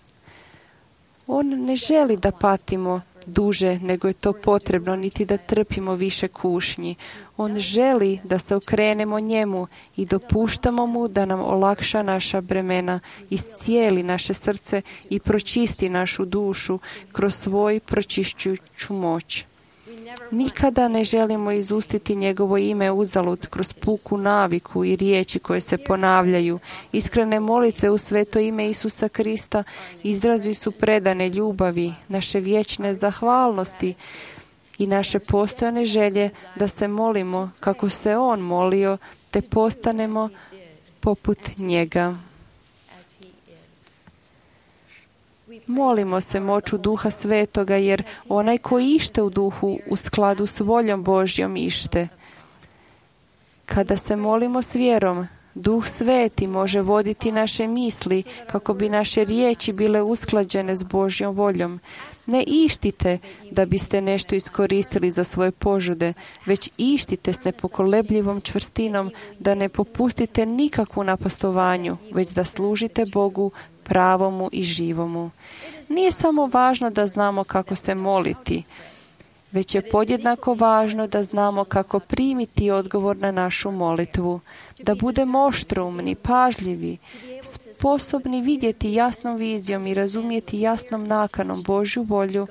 On ne želi da patimo duže nego je to potrebno, niti da trpimo više kušnji. On želi da se okrenemo njemu i dopuštamo mu da nam olakša naša bremena, iscijeli naše srce i pročisti našu dušu kroz svoj pročišćujuću moć. Nikada ne želimo izustiti njegovo ime uzalud kroz puku naviku i riječi koje se ponavljaju. Iskrene molitve u sveto ime Isusa Krista izrazi su predane ljubavi, naše vječne zahvalnosti i naše postojane želje da se molimo kako se On molio, te postanemo poput njega. Molimo se moću Duha Svetoga, jer onaj koji ište u duhu u skladu s voljom Božjom ište. Kada se molimo s vjerom, Duh Sveti može voditi naše misli kako bi naše riječi bile usklađene s Božjom voljom. Ne ištite da biste nešto iskoristili za svoje požude, već ištite s nepokolebljivom čvrstinom da ne popustite nikakvu napastovanju, već da služite Bogu pravomu i živomu. Nije samo važno da znamo kako se moliti, već je podjednako važno da znamo kako primiti odgovor na našu molitvu, da budemo oštroumni, pažljivi, sposobni vidjeti jasnom vizijom i razumjeti jasnom nakanom Božju volju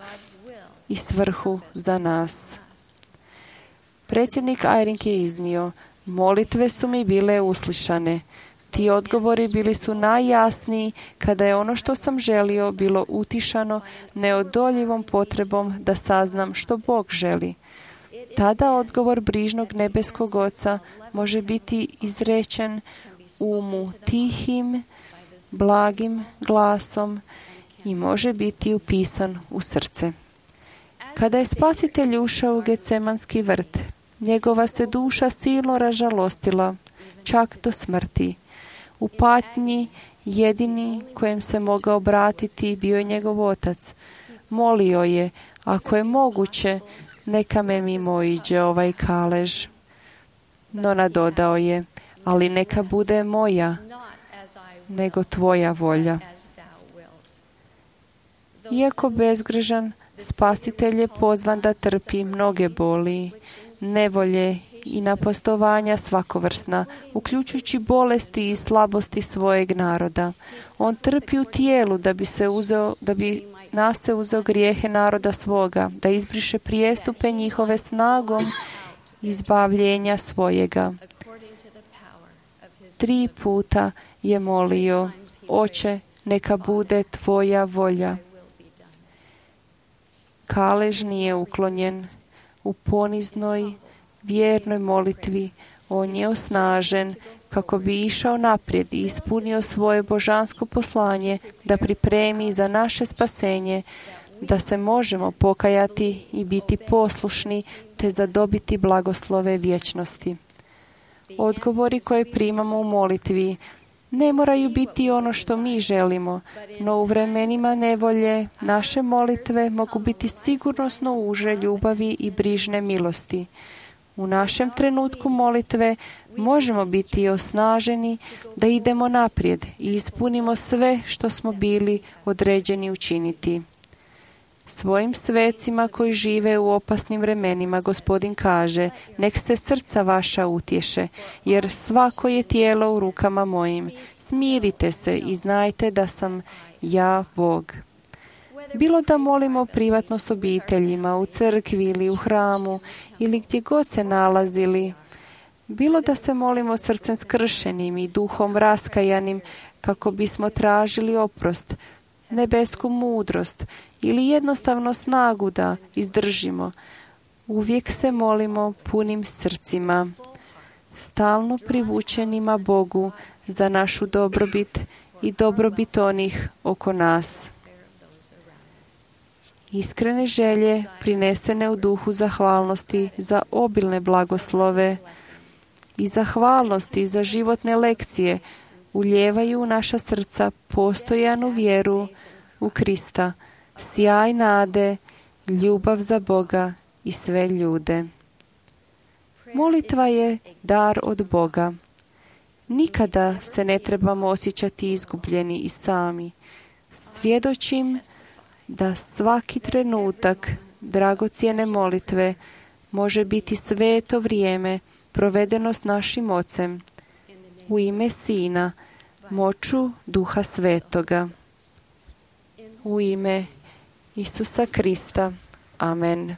i svrhu za nas. Predsjednik Eyring je iznio, molitve su mi bile uslišane. Ti odgovori bili su najjasniji kada je ono što sam želio bilo utišano neodoljivom potrebom da saznam što Bog želi. Tada odgovor brižnog nebeskog Oca može biti izrečen umu tihim, blagim glasom i može biti upisan u srce. Kada je Spasitelj ušao u Getsemanski vrt, njegova se duša silno ražalostila, čak do smrti. U patnji jedini kojem se mogao obratiti bio je njegov otac. Molio je, ako je moguće, neka me mimo iđe ovaj kalež. No nadodao je, ali neka bude moja, nego tvoja volja. Iako bezgrešan, Spasitelj je pozvan da trpi mnoge boli, nevolje i napastovanja svakovrsna, uključujući bolesti i slabosti svojeg naroda. On trpi u tijelu da bi se uzeo, da bi na se uzeo grijehe naroda svoga, da izbriše prijestupe njihove snagom izbavljenja svojega. Tri puta je molio, Oče, neka bude tvoja volja. Kalež nije uklonjen. U poniznoj, vjernoj molitvi on je osnažen kako bi išao naprijed i ispunio svoje božansko poslanje da pripremi za naše spasenje, da se možemo pokajati i biti poslušni te zadobiti blagoslove vječnosti. Odgovori koje primamo u molitvi ne moraju biti ono što mi želimo, no u vremenima nevolje naše molitve mogu biti sigurnosno uže ljubavi i brižne milosti. U našem trenutku molitve možemo biti osnaženi da idemo naprijed i ispunimo sve što smo bili određeni učiniti. Svojim svecima koji žive u opasnim vremenima Gospodin kaže, nek se srca vaša utješe, jer svako je tijelo u rukama mojim. Smirite se i znajte da sam ja Bog. Bilo da molimo privatno s obiteljima, u crkvi ili u hramu, ili gdje god se nalazili, bilo da se molimo srcem skršenim i duhom raskajanim kako bismo tražili oprost, nebesku mudrost ili jednostavno snagu da izdržimo, uvijek se molimo punim srcima, stalno privučenima Bogu za našu dobrobit i dobrobit onih oko nas. Iskrene želje prinesene u duhu zahvalnosti za obilne blagoslove i zahvalnosti za životne lekcije ulijevaju u naša srca postojanu vjeru u Krista, sjaj nade, ljubav za Boga i sve ljude. Molitva je dar od Boga. Nikada se ne trebamo osjećati izgubljeni i sami. Svjedočim da svaki trenutak dragocjene molitve može biti sveto vrijeme provedeno s našim Ocem u ime Sina, moću Duha Svetoga. U ime Isusa Krista. Amen.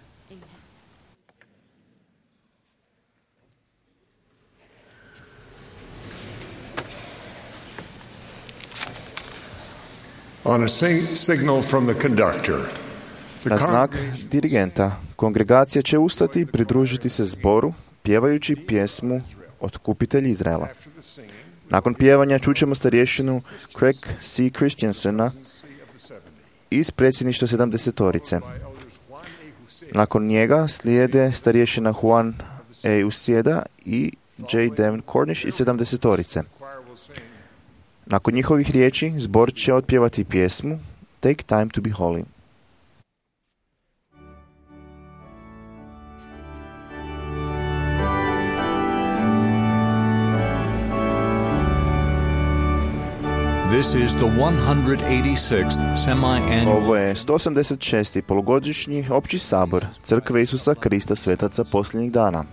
On a sing- signal from the conductor, the Na znak dirigenta, kongregacija će ustati i pridružiti se zboru, pjevajući pjesmu Otkupitelj Izraela. Nakon pjevanja čućemo starješinu Craig C. Christiansena iz predsjedništva sedamdesetorice. Nakon njega slijede starješina Juan E. Usieda i J. Devin Cornish iz sedamdesetorice. Nakon njihovih riječi, zbor će otpjevati pjesmu Take Time to Be Holy. This is the one hundred eighty-sixth semi-annual. Ovo je sto osamdeset šesti polugodišnji opći sabor Crkve Isusa Krista svetaca posljednjih dana.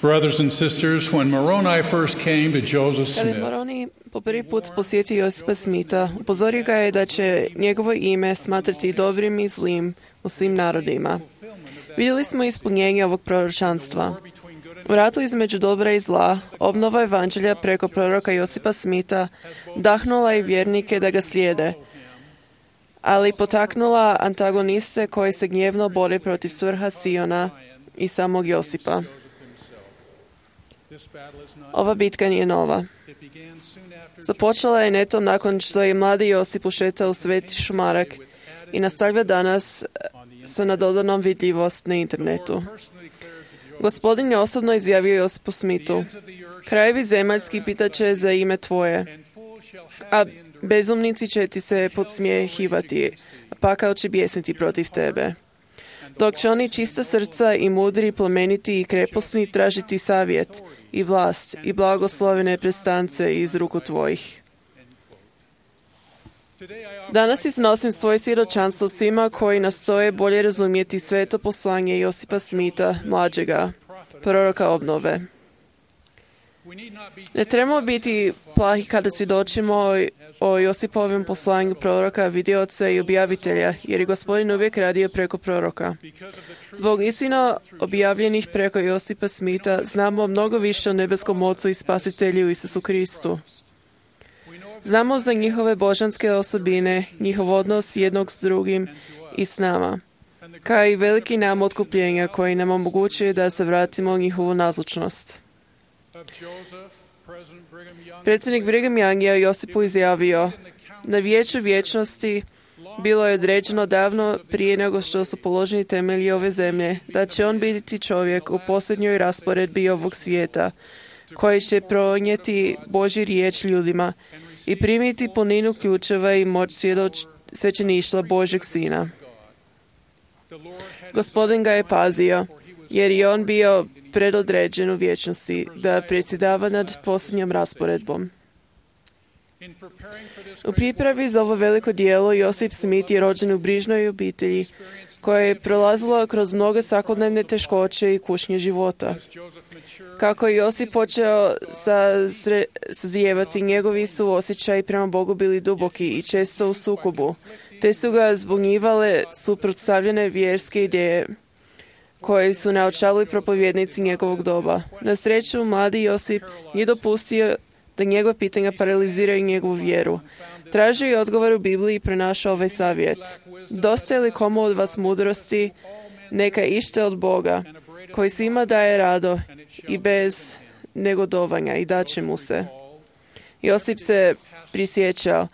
Brothers and sisters, when Moroni first came to Joseph Kada je Smith, Moroni po prvi put posjetio Josipa Smitha, upozorio ga je da će njegovo ime smatrati dobrim i zlim u svim narodima. Vidjeli smo ispunjenje ovog proročanstva. U ratu između dobra i zla, obnova evanđelja preko proroka Josipa Smitha dahnula i vjernike da ga slijede, ali potaknula antagoniste koji se gnjevno bore protiv svrha Siona i samog Josipa. Ova bitka nije nova. Započela je netom nakon što je mladi Josip ušetao u sveti šumarak i nastavlja danas sa nadodanom vidljivost na internetu. Gospodin je osobno izjavio Josipu Smithu: krajevi zemaljski pitaće za ime tvoje, a bezumnici će ti se podsmjehivati, a pakao će bijesniti protiv tebe. Dok će oni čista srca i mudri, plemeniti i kreposni tražiti savjet i vlast i blagoslovene prestance iz ruku tvojih. Danas iznosim svoje svjedočanstvo svima koji nastoje bolje razumjeti sveto poslanje Josipa Smitha, mlađega, proroka obnove. Ne trebamo biti plahi kada svjedočimo o Josipovom poslanju proroka, vidioca i objavitelja, jer je Gospodin uvijek radio preko proroka. Zbog istina objavljenih preko Josipa Smitha znamo mnogo više o nebeskom Ocu i Spasitelju Isusu Kristu. Znamo za njihove božanske osobine, njihov odnos jednog s drugim i s nama, kao i veliki nam otkupljenja koji nam omogućuje da se vratimo u njihovu nazočnost. Predsjednik Brigham Young je Josipu izjavio: na vijeću vječnosti bilo je određeno davno prije nego što su položeni temelji ove zemlje, da će on biti čovjek u posljednjoj rasporedbi ovog svijeta, koji će pronijeti Božju riječ ljudima i primiti puninu ključeva i moć svjedoč svećeništva Božjeg Sina. Gospodin ga je pazio, jer je on bio predodređen u vječnosti da predsjedava nad posljednjom rasporedbom. U pripravi za ovo veliko djelo Josip Smith je rođen u brižnoj obitelji koja je prolazila kroz mnoge svakodnevne teškoće i kušnje života. Kako je Josip počeo sazre, sazijevati, njegovi su osjećaji prema Bogu bili duboki i često u sukobu, te su ga zbunjivale suprotstavljene vjerske ideje koje su naučavali propovjednici njegovog doba. Na sreću, mladi Josip nije dopustio da njegova pitanja paraliziraju njegovu vjeru. Tražio je odgovor u Bibliji i prenašao ovaj savjet. Dosta je li komu od vas mudrosti, neka ište od Boga, koji svima daje rado i bez negodovanja i daće mu se. Josip se prisjećao: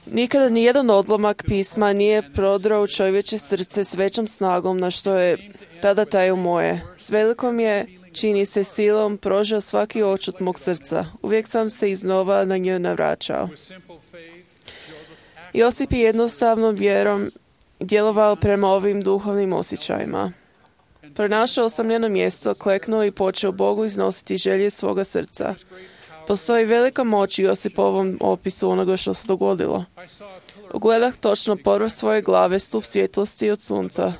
nikada nijedan odlomak pisma nije prodrao u čovječe srce s većom snagom na što je tada taj u moje. S velikom je, čini se, silom prožao svaki očut mog srca. Uvijek sam se iznova na nju navraćao. Josip je jednostavnom vjerom djelovao prema ovim duhovnim osjećajima. Pronašao sam njeno mjesto, kleknuo i počeo Bogu iznositi želje svoga srca. Postoji velika moć u Josipovom opisu onoga što se dogodilo. Ugledah točno povrh svoje glave stup svjetlosti od sunca,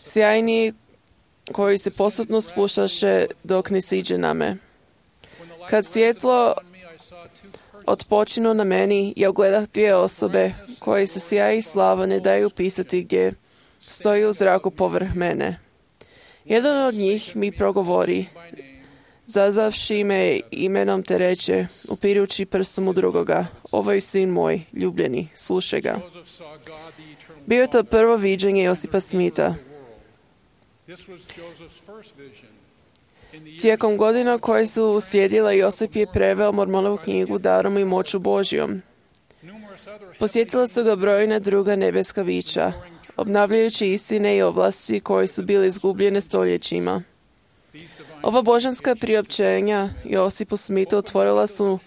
sjajniji koji se postupno spuštaše dok ne siđe na me. Kad svjetlo otpočinu na meni, ja ugledah dvije osobe koje se sjaj i slava ne daju pisati gdje stoji u zraku povrh mene. Jedan od njih mi progovori, zazavši me imenom te reče, upirući prstom u drugoga: ovo je sin moj, ljubljeni, slušaj ga. Bio je to prvo viđenje Josipa Smitha. Tijekom godina koje su uslijedile, Josip je preveo Mormonovu knjigu Darom i moću Božjom. Posjetila su ga brojna druga nebeska bića, obnavljajući istine i ovlasti koje su bile izgubljene stoljećima. Ova božanska priopćenja Josipu Smithu otvorila su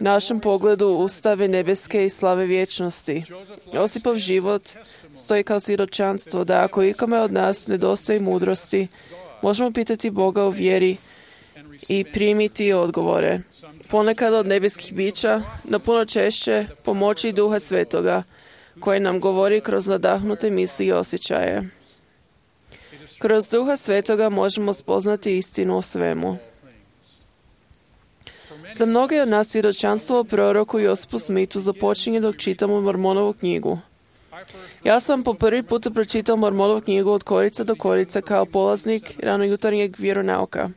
našem pogledu ustave nebeske i slave vječnosti. Josipov život stoji kao svjedočanstvo da ako ikome od nas nedostaje mudrosti, možemo pitati Boga u vjeri i primiti odgovore. Ponekad od nebeskih bića, no puno češće pomoći Duha Svetoga, koji nam govori kroz nadahnute misli i osjećaje. Kroz Duha Svetoga možemo spoznati istinu o svemu. Za mnoge od nas svjedočanstvo o proroku Josipu Smithu započinje dok čitamo Mormonovu knjigu. Ja sam po prvi put pročitao Mormonovu knjigu od korica do korica kao polaznik ranojutarnjeg vjeronauka.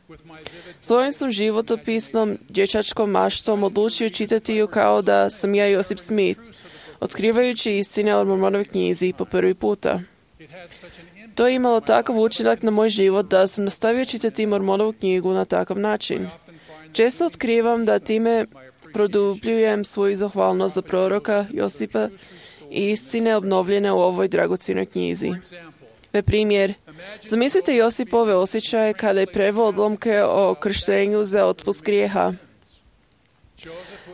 Svojim sam životopisnom dječačkom maštom odlučio čitati ju kao da sam ja Josip Smith, otkrivajući istine o Mormonovoj knjizi po prvi puta. To je imalo takav učinak na moj život da sam nastavio čitati Mormonovu knjigu na takav način. Često otkrivam da time produbljujem svoju zahvalnost za proroka Josipa i istine obnovljene u ovoj dragocjenoj knjizi. Na primjer, zamislite Josipove osjećaje kada je preveo odlomke o krštenju za otpust grijeha.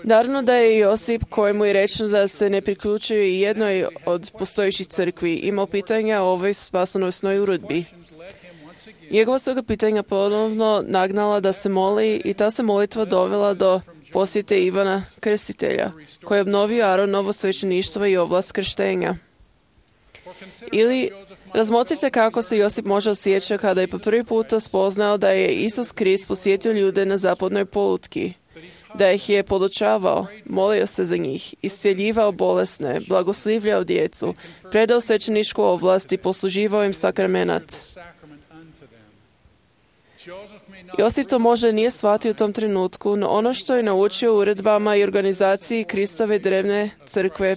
Naravno da je Josip, kojemu je rečeno da se ne priključuje i jednoj od postojećih crkvi, imao pitanja o ovoj spasonosnoj uredbi. Njegova su ga pitanja ponovno nagnala da se moli i ta se molitva dovela do posjete Ivana Krstitelja, koji je obnovio Aronovo svećeništvo i ovlast krštenja. Ili razmotrite kako se Josip može osjećati kada je po prvi puta spoznao da je Isus Krist posjetio ljude na zapadnoj polutki, da ih je podučavao, molio se za njih, iscjeljivao bolesne, blagoslivljao djecu, predao svećeničku ovlast i posluživao im sakramenat. Josip to možda nije shvatio u tom trenutku, no ono što je naučio u uredbama i organizaciji Kristove drevne crkve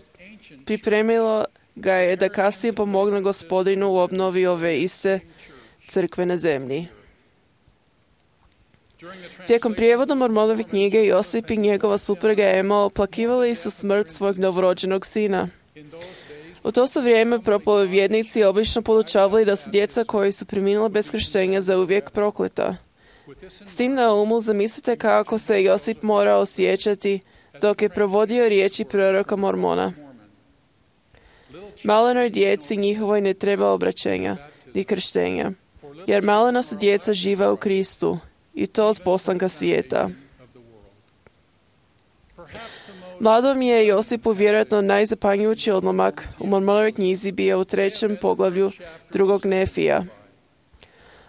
pripremilo ga je da kasnije pomogne Gospodinu u obnovi ove iste crkve na zemlji. Tijekom prijevoda Mormonove knjige Josip i njegova supruga Ema oplakivali su smrt svojeg novorođenog sina. U to su vrijeme propovjednici obično podučavali da su djeca koji su preminula bez krštenja zauvijek prokleta. S tim na umu zamislite kako se Josip morao osjećati dok je provodio riječi proroka Mormona. Malenoj djeci njihovoj ne treba obraćenja ni krštenja, jer malena su djeca živa u Kristu i to od poslanka svijeta. Mladom je Josipu vjerojatno najzapanjujući odlomak u Mormonovoj knjizi bio u trećem poglavlju drugog Nefija.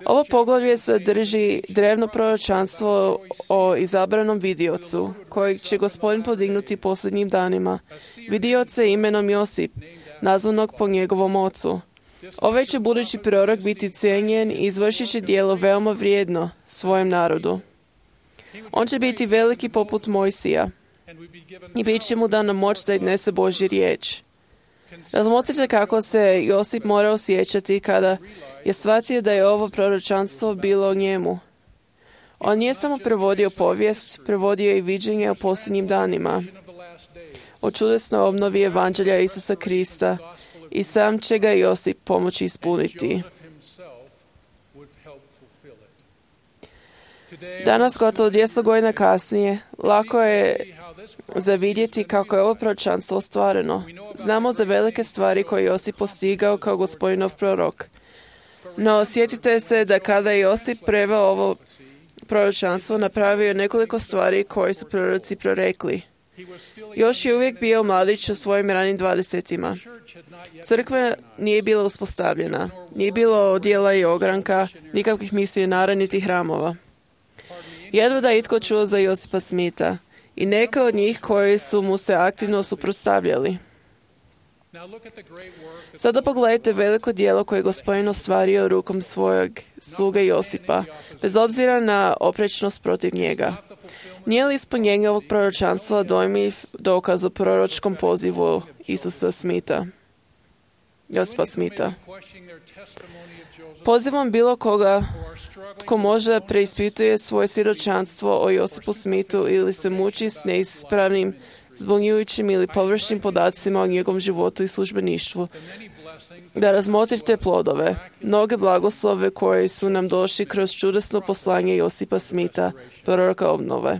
Ovo poglavlje sadrži drevno proročanstvo o izabranom vidiocu, kojeg će Gospodin podignuti posljednjim danima. Vidioce imenom Josip, nazvanog po njegovom ocu. Ovaj će budući prorok biti cijenjen i izvršit će djelo veoma vrijedno svojem narodu. On će biti veliki poput Mojsija i bit će mu dana moć da iznese Božju riječ. Razmotrite kako se Josip mora osjećati kada je shvatio da je ovo proročanstvo bilo o njemu. On nije samo prevodio povijest, prevodio i viđenje o posljednjim danima, o čudesnoj obnovi evanđelja Isusa Krista, i sam će ga Josip pomoći ispuniti. Danas, gotovo dvjesto godina kasnije, lako je zavidjeti kako je ovo proročanstvo ostvareno. Znamo za velike stvari koje Josip postigao kao Gospodinov prorok. No, sjetite se da kada je Josip preveo ovo proročanstvo, napravio je nekoliko stvari koje su proroci prorekli. Još je uvijek bio mladić u svojim ranim dvadesetima. Crkva nije bila uspostavljena. Nije bilo odjela i ogranka, nikakvih misionara niti hramova. Jedva da je itko čuo za Josipa Smitha i neka od njih koji su mu se aktivno suprotstavljali. Sada pogledajte veliko djelo koje je Gospodin ostvario rukom svojeg sluge Josipa, bez obzira na oprečnost protiv njega. Nije li ispunjenje ovog proročanstva dojmljiv dokaz o proročkom pozivu Isusa Smitha, Josipa Smitha? Pozivam bilo koga tko možda preispituje svoje svjedočanstvo o Josipu Smithu ili se muči s neispravnim, zbunjujućim ili površnim podacima o njegovom životu i službeništvu, da razmotrite plodove, mnoge blagoslove koje su nam došli kroz čudesno poslanje Josipa Smitha, proroka obnove.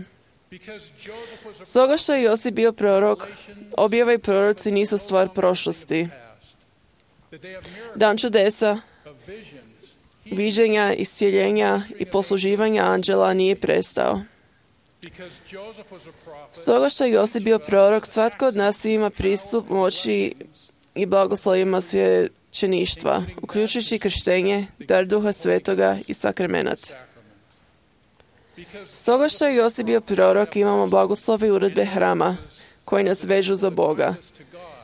Stoga što je Josip bio prorok, objava i proroci nisu stvar prošlosti. Dan čudesa, viđenja, iscijeljenja i posluživanja anđela nije prestao. Stoga što je Josip bio prorok, svatko od nas ima pristup moći i blagoslovima svećeništva, uključujući krštenje, dar Duha Svetoga i sakramenat. Stoga što je Josip bio prorok, imamo blagoslove i uredbe hrama, koji nas vežu za Boga,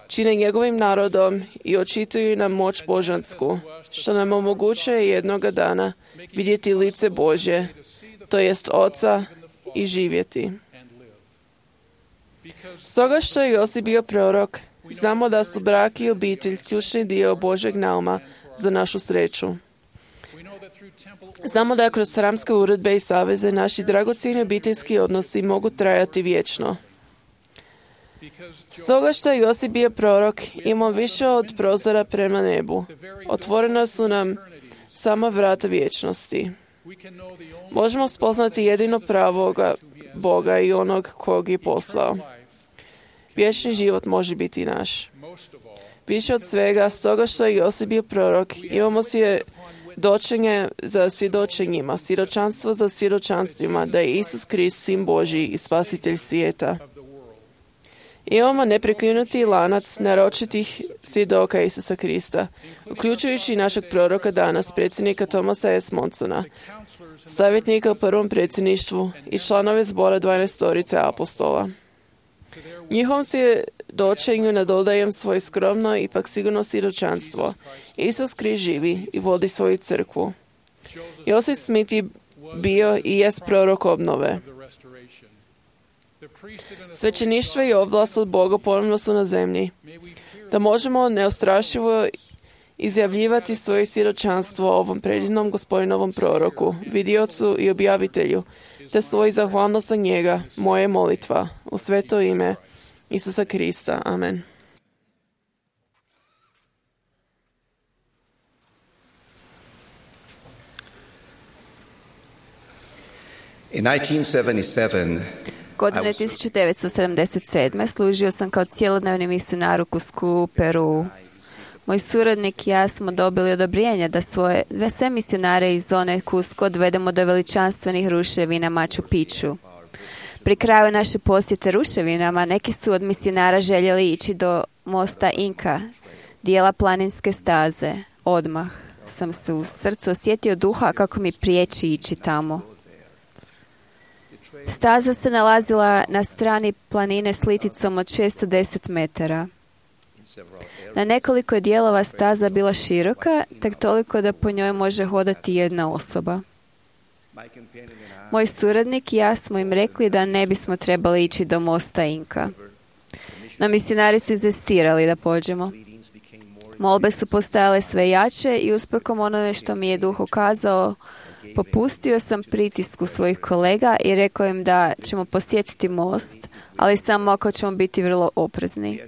čine njegovim narodom i očituju nam moć božansku, što nam omogućuje jednoga dana vidjeti lice Božje, to jest Oca, i živjeti. Stoga što je Josip bio prorok, znamo da su brak i obitelj ključni dio Božeg nauma za našu sreću. Znamo da kroz hramske uredbe i saveze naši dragocjeni obiteljski odnosi mogu trajati vječno. Stoga što je Josip bio prorok, imamo više od prozora prema nebu. Otvorena su nam sama vrata vječnosti. Možemo spoznati jedino pravoga Boga i onog kog je poslao. Vječni život može biti naš. Više od svega, stoga što je Josip bio prorok, imamo svjedočenje za svjedočenjima, svjedočanstvo za svjedočanstvima, da je Isus Krist, Sin Božji i Spasitelj svijeta. Imamo neprekinuti lanac naročitih svjedoka Isusa Krista, uključujući našeg proroka danas, predsjednika Thomasa S. Monsona, savjetnika u prvom predsjedništvu i članove zbora dvanaestorice apostola. Njihovom svjedočenju nadodajem svoje skromno, ipak sigurno svjedočanstvo. Isus Krist živi i vodi svoju crkvu. Josip Smith je bio i jest prorok obnove. Svećeništvo i ovlast od Boga ponovno su na zemlji, da možemo neostrašivo izjavljivati svoje svjedočanstvo ovom predivnom Gospodinovom proroku, vidiocu i objavitelju, te svoju zahvalnost za njega, moje molitva, u sveto ime Isusa Krista. Amen. In nineteen seventy-seven, Godine tisuću devetsto sedamdeset sedme služio sam kao cjelodnevni misionar u Cuscu u Peruu. Moj suradnik i ja smo dobili odobrenje da svoje, da sve misionare iz zone Cusco odvedemo do veličanstvenih ruševina Machu Picchu. Pri kraju naše posjete ruševinama neki su od misionara željeli ići do mosta Inka, dijela planinske staze. Odmah sam se u srcu osjetio duha kako mi priječi ići tamo. Staza se nalazila na strani planine s liticom od šesto deset metara. Na nekoliko je dijelova staza bila široka, tek toliko da po njoj može hodati jedna osoba. Moj suradnik i ja smo im rekli da ne bismo trebali ići do mosta Inka. No misionari su inzistirali da pođemo. Molbe su postajale sve jače i usprkos onome što mi je duh ukazao, popustio sam pritisku svojih kolega i rekao im da ćemo posjetiti most, ali samo ako ćemo biti vrlo oprezni.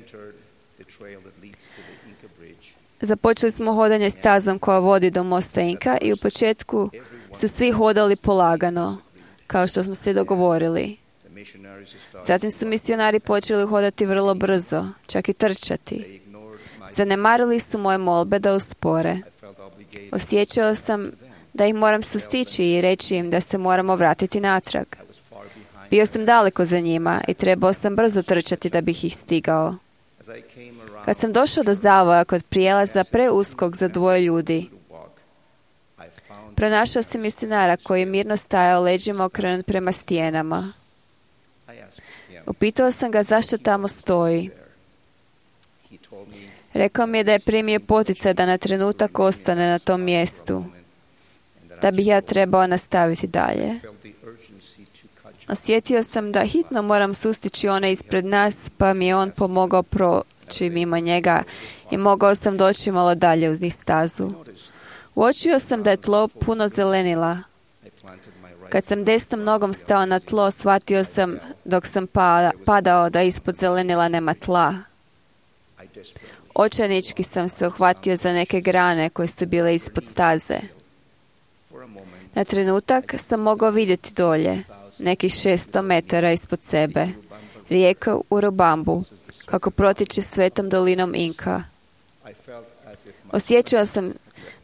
Započeli smo hodanje stazom koja vodi do mosta Inka i u početku su svi hodali polagano, kao što smo se dogovorili. Zatim su misionari počeli hodati vrlo brzo, čak i trčati. Zanemarili su moje molbe da uspore. Osjećao sam da ih moram sustići i reći im da se moramo vratiti natrag. Bio sam daleko za njima i trebao sam brzo trčati da bih ih stigao. Kad sam došao do zavoja kod prijelaza preuskog za dvoje ljudi, pronašao sam misionara koji je mirno stajao leđima okrenut prema stijenama. Upitao sam ga zašto tamo stoji. Rekao mi je da je primio poticaj da na trenutak ostane na tom mjestu, da bih ja trebao nastaviti dalje. Osjetio sam da hitno moram sustići one ispred nas, pa mi je on pomogao proći mimo njega i mogao sam doći malo dalje uz njih stazu. Uočio sam da je tlo puno zelenila. Kad sam desnom nogom stao na tlo, shvatio sam dok sam padao da ispod zelenila nema tla. Očajnički sam se uhvatio za neke grane koje su bile ispod staze. Na trenutak sam mogao vidjeti dolje, nekih šesto metara ispod sebe, rijeku Urubambu, kako protiče svetom dolinom Inka. Osjećao sam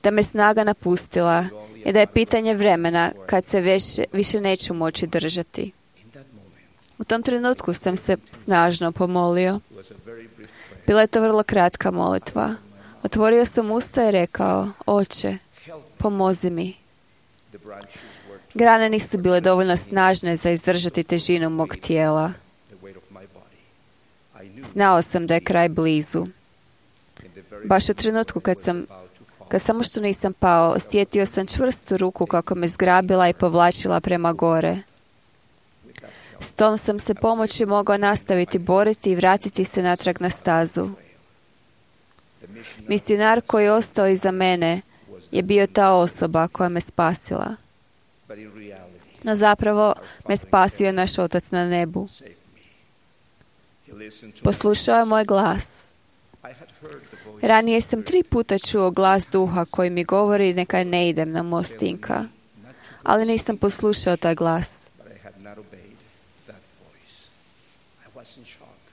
da me snaga napustila i da je pitanje vremena kad se više, više neću moći držati. U tom trenutku sam se snažno pomolio. Bila je to vrlo kratka molitva. Otvorio sam usta i rekao, Oče, pomozi mi. Grane nisu bile dovoljno snažne za izdržati težinu mog tijela. Znao sam da je kraj blizu. Baš u trenutku kad sam, kad samo što nisam pao, osjetio sam čvrstu ruku kako me zgrabila i povlačila prema gore. S tom sam se pomoći mogao nastaviti boriti i vratiti se natrag na stazu. Misionar koji je ostao iza mene je bio ta osoba koja me spasila. No zapravo me spasio naš Otac na nebu. Poslušao je moj glas. Ranije sam tri puta čuo glas duha koji mi govori neka ne idem na most Inka, ali nisam poslušao taj glas.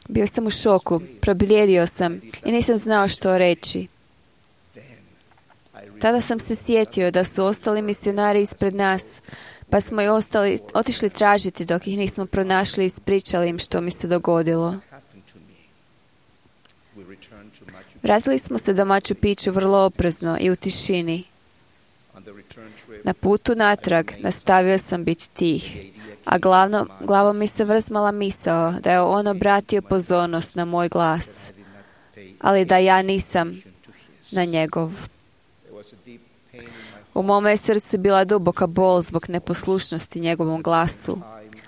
Bio sam u šoku, probljedio sam i nisam znao što reći. Tada sam se sjetio da su ostali misionari ispred nas, pa smo i ostali, otišli tražiti dok ih nismo pronašli i ispričali im što mi se dogodilo. Vratili smo se do Machu Picchu vrlo oprezno i u tišini. Na putu natrag nastavio sam biti tih, a glavno, glavom mi se vrzmala misao da je on obratio pozornost na moj glas, ali da ja nisam na njegov. U mome je srcu bila duboka bol zbog neposlušnosti njegovom glasu,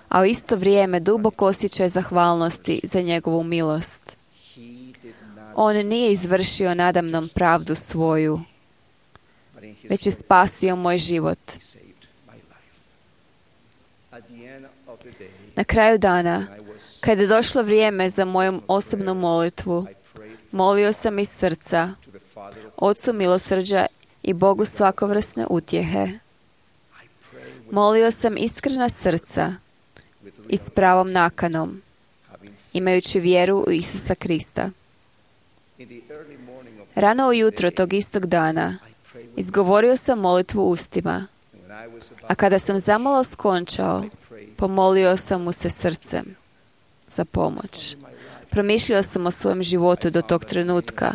a u isto vrijeme dubok osjećaj zahvalnosti za njegovu milost. On nije izvršio nadamnom pravdu svoju, već je spasio moj život. Na kraju dana, kada je došlo vrijeme za moju osobnu molitvu, molio sam iz srca Ocu milosrđa i Bogu svakovrsne utjehe. Molio sam iskrena srca i s pravom nakanom, imajući vjeru u Isusa Krista. Rano ujutro tog istog dana izgovorio sam molitvu ustima, a kada sam zamalo skončao, pomolio sam mu se srcem za pomoć. Promišljao sam o svojem životu do tog trenutka.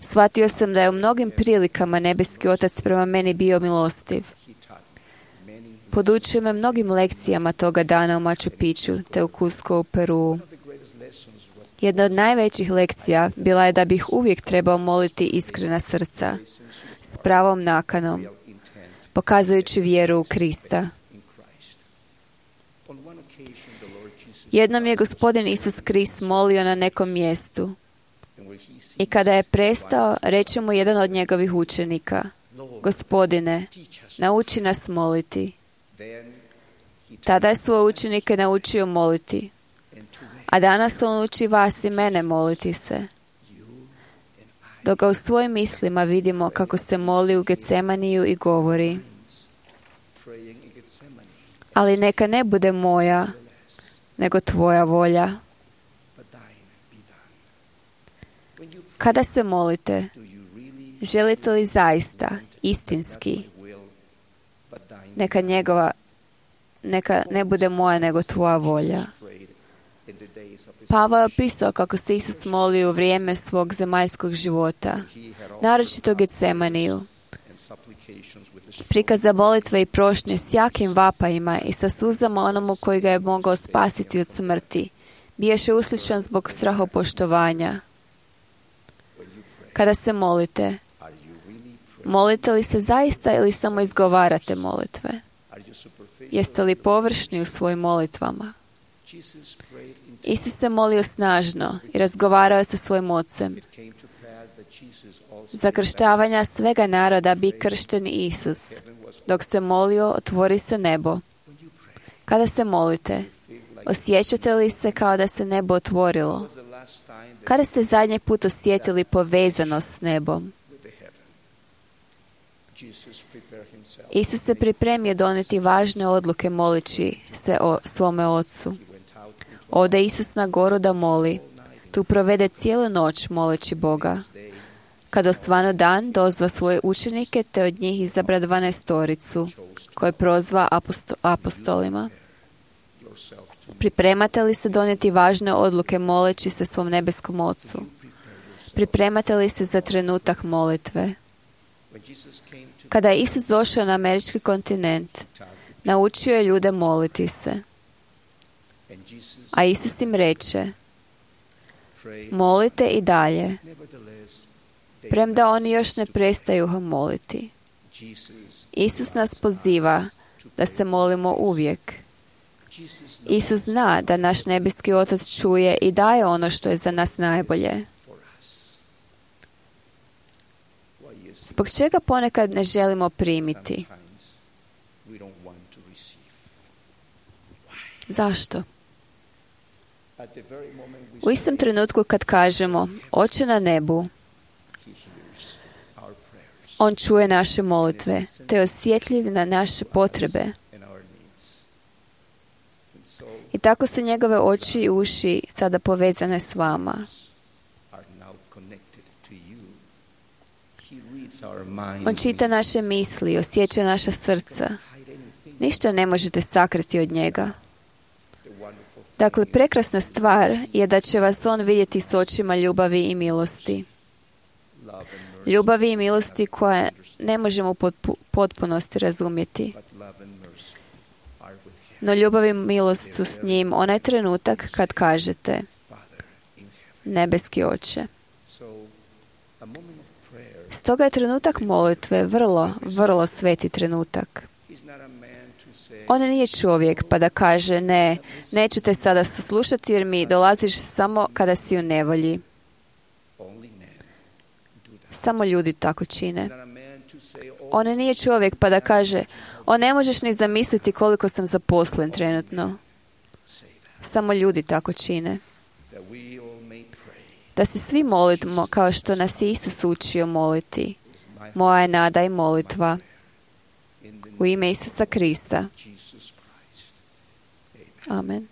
Shvatio sam da je u mnogim prilikama nebeski Otac prema meni bio milostiv. Podučio me mnogim lekcijama toga dana u Machu Picchu te u Cusco u Peruu. Jedna od najvećih lekcija bila je da bih uvijek trebao moliti iskrena srca, s pravom nakanom, pokazujući vjeru u Krista. Jednom je Gospodin Isus Krist molio na nekom mjestu i kada je prestao, reče mu jedan od njegovih učenika: Gospodine, nauči nas moliti. Tada je svoje učenike naučio moliti, a danas on uči vas i mene moliti se. Dok ga u svojim mislima vidimo kako se moli u Getsemaniju i govori: ali neka ne bude moja, nego tvoja volja. Kada se molite, želite li zaista, istinski, neka njegova, neka ne bude moja, nego tvoja volja? Pavao je opisao kako se Isus molio u vrijeme svog zemaljskog života, naročito Getsemaniju. Prikaza molitve i prošnje s jakim vapajima i sa suzama onomu koji ga je mogao spasiti od smrti, biješe uslišan zbog strahopoštovanja. Kada se molite, molite li se zaista ili samo izgovarate molitve? Jeste li površni u svojim molitvama? Isus se molio snažno i razgovarao je sa svojim ocem. Za krštavanja svega naroda bi kršten Isus. Dok se molio, otvori se nebo. Kada se molite, osjećate li se kao da se nebo otvorilo? Kada ste zadnji put osjetili povezanost s nebom? Isus se pripremio donijeti važne odluke molići se o svome Ocu. Ode Isus na goru da moli. Tu provede cijelu noć moleći Boga. Kad osvanu dan, dozva svoje učenike te od njih izabra dvanaestoricu, koje prozva aposto- apostolima. Pripremate li se donijeti važne odluke moleći se svom nebeskom Ocu? Pripremate li se za trenutak molitve? Kada je Isus došao na američki kontinent, naučio je ljude moliti se. A Isus im reče: molite i dalje, premda oni još ne prestaju moliti. Isus nas poziva da se molimo uvijek. Isus zna da naš nebeski Otac čuje i daje ono što je za nas najbolje. Zbog čega ponekad ne želimo primiti? Zašto? U istom trenutku kad kažemo Oče na nebu, on čuje naše molitve, te je osjetljiv na naše potrebe. I tako su njegove oči i uši sada povezane s vama. On čita naše misli, osjeća naša srca. Ništa ne možete sakriti od njega. Dakle, prekrasna stvar je da će vas on vidjeti s očima ljubavi i milosti. Ljubavi i milosti koje ne možemo u potpunosti razumjeti. No ljubav i milost su s njim onaj trenutak kad kažete: nebeski Oče. Stoga je trenutak molitve vrlo, vrlo sveti trenutak. On nije čovjek pa da kaže: ne, neću te sada saslušati jer mi dolaziš samo kada si u nevolji. Samo ljudi tako čine. On nije čovjek pa da kaže, o ne možeš ni zamisliti koliko sam zaposlen trenutno. Samo ljudi tako čine. Da se svi molimo kao što nas je Isus učio moliti. Moja je nada i molitva. U ime Isusa Krista. Amen.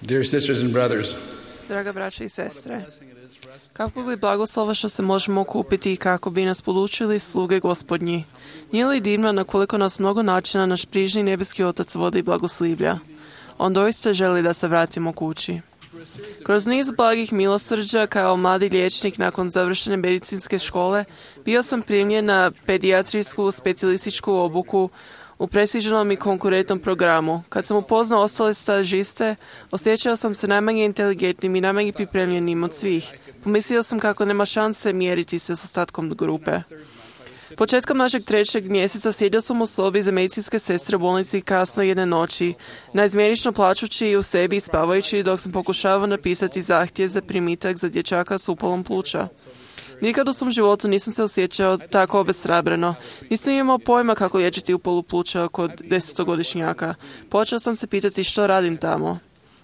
Dear sisters and brothers, draga braća i sestre, kako li blagoslova što se možemo okupiti i kako bi nas podučili sluge Gospodnji. Nije li divno na koliko nas mnogo načina naš prižni nebeski Otac vodi i blagoslivlja? On doista želi da se vratimo kući. Kroz niz blagih milosrđa kao mladi liječnik nakon završene medicinske škole bio sam primljen na pedijatrijsku specijalističku obuku u prestižnom i konkurentnom programu. Kad sam upoznao ostale stažiste, osjećao sam se najmanje inteligentnim i najmanje pripremljenim od svih. Pomislio sam kako nema šanse mjeriti se s ostatkom grupe. Početkom našeg trećeg mjeseca sjedio sam u sobi za medicinske sestre u bolnici kasno jedne noći, naizmjenično plačući u sebi i spavajući dok sam pokušavao napisati zahtjev za primitak za dječaka s upalom pluća. Nikad u svom životu nisam se osjećao tako obeshrabreno. Nisam imao pojma kako liječiti upalu pluća kod desetogodišnjaka. Počeo sam se pitati što radim tamo.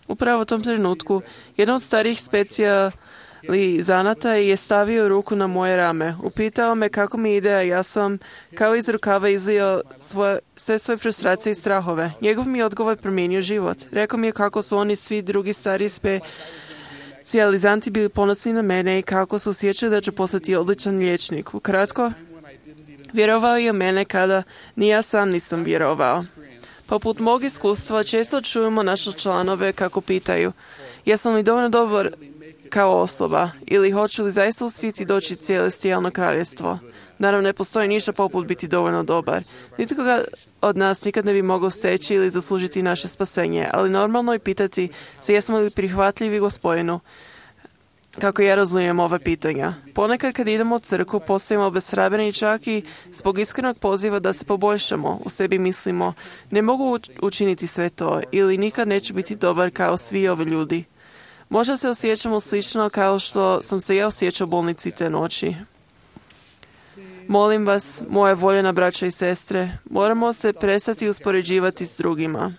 Upravo u tom trenutku, jedan od starijih specijalizanata je stavio ruku na moje rame. Upitao me kako mi ide, a ja sam kao iz rukava izlio svoje, sve svoje frustracije i strahove. Njegov mi odgovor promijenio život. Rekao mi je kako su oni svi drugi stariji specijalizanti bili ponosni na mene i kako su osjećali da ću postati odličan liječnik. Ukratko, vjerovao je u mene kada ni ja sam nisam vjerovao. Poput mog iskustva često čujemo naše članove kako pitaju jesam li dovoljno dobar kao osoba ili hoću li zaista uspjeti doći celestijalno kraljevstvo. Naravno, ne postoji ništa poput biti dovoljno dobar. Nitko ga od nas nikad ne bi mogao steći ili zaslužiti naše spasenje, ali normalno je pitati se jesmo li prihvatljivi Gospodinu. Kako ja razumijem ova pitanja. Ponekad kad idemo u crkvu postajemo obeshrabreni čak i zbog iskrenog poziva da se poboljšamo. U sebi mislimo ne mogu učiniti sve to ili nikad neću biti dobar kao svi ovi ljudi. Možda se osjećamo slično kao što sam se ja osjećao u bolnici te noći. Molim vas, moje voljena braća i sestre, moramo se prestati uspoređivati s drugima.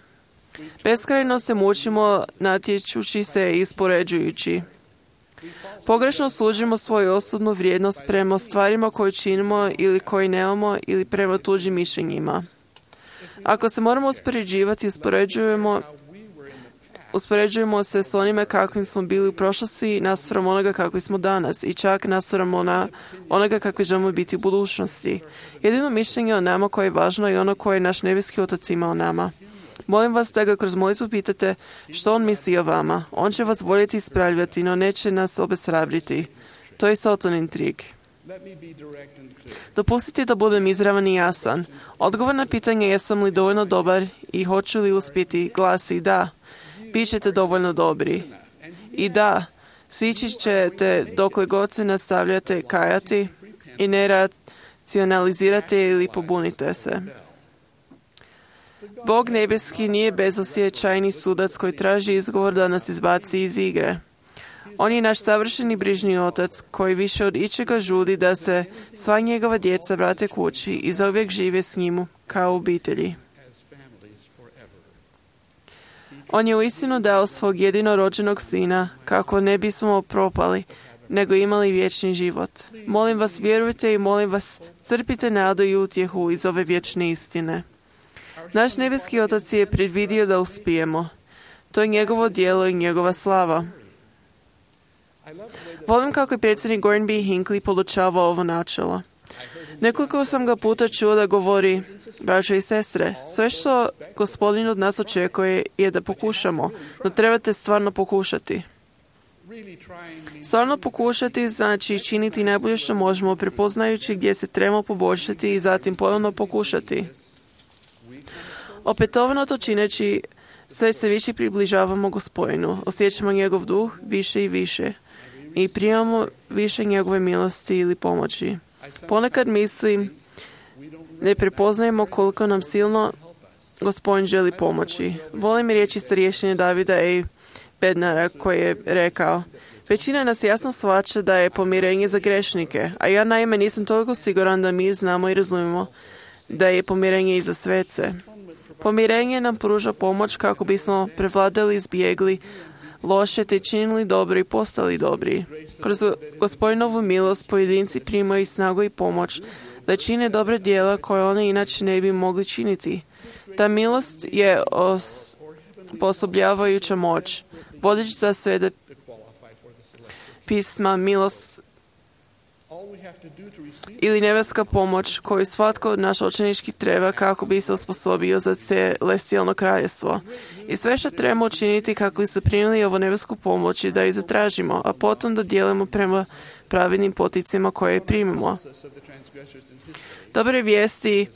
Beskrajno se mučimo natječući se i uspoređujući. Pogrešno služimo svoju osobnu vrijednost prema stvarima koje činimo ili koje nemamo ili prema tuđim mišljenjima. Ako se moramo uspoređivati, uspoređujemo, uspoređujemo se s onime kakvim smo bili u prošlosti naspram onoga kakvi smo danas i čak naspram ona, onoga kakvi želimo biti u budućnosti. Jedino mišljenje o nama koje je važno je ono koje je naš nebeski Otac ima o nama. Molim vas da ga kroz molitvu pitate što on misli o vama. On će vas voljeti ispravljati, no neće nas obeshrabriti. To je Satanin trik. Dopustite da budem izravan i jasan. Odgovor na pitanje jesam li dovoljno dobar i hoću li uspjeti glasi da. Bićete dovoljno dobri. I da, sići ćete dokle god se nastavljate kajati i ne racionalizirate ili pobunite se. Bog nebeski nije bezosjećajni sudac koji traži izgovor da nas izbaci iz igre. On je naš savršeni brižni Otac koji više od ičega žudi da se sva njegova djeca vrate kući i zauvijek žive s njim kao obitelji. On je uistinu dao svog jedinorođenog sina kako ne bismo propali, nego imali vječni život. Molim vas, vjerujte i molim vas, crpite nadu i utjehu iz ove vječne istine. Naš nebeski Otac je predvidio da uspijemo. To je njegovo djelo i njegova slava. Volim kako je predsjednik Gordon B. Hinckley podučavao ovo načelo. Nekoliko sam ga puta čuo da govori, braćo i sestre, sve što Gospodin od nas očekuje je da pokušamo, no trebate stvarno pokušati. Stvarno pokušati znači činiti najbolje što možemo, prepoznajući gdje se trebamo poboljšati i zatim ponovno pokušati. Opetovano to čineći, sve se više približavamo Gospodinu, osjećamo njegov duh više i više i primamo više njegove milosti ili pomoći. Ponekad mislim ne prepoznajemo koliko nam silno Gospodin želi pomoći. Volim riječi sa rješenja Davida i Bednara koji je rekao: većina nas jasno shvaća da je pomirenje za grešnike, a ja naime nisam toliko siguran da mi znamo i razumijemo da je pomirenje i za svece. Pomirenje nam pruža pomoć kako bismo prevladali, izbjegli loše te činili dobro i postali dobri. Kroz Gospodinovu milost pojedinci primaju snagu i pomoć da čine dobre djela koje oni inače ne bi mogli činiti. Ta milost je osposobljavajuća moć. Vodič za sve da pisma milost ili nebeska pomoć koju svatko od naš učenički treba kako bi se osposobio za celestijalno kraljestvo. I sve što trebamo učiniti kako bi se primili ovu nebesku pomoć i da ju zatražimo, a potom da dijelimo prema pravednim poticima koje primimo. Dobre vijesti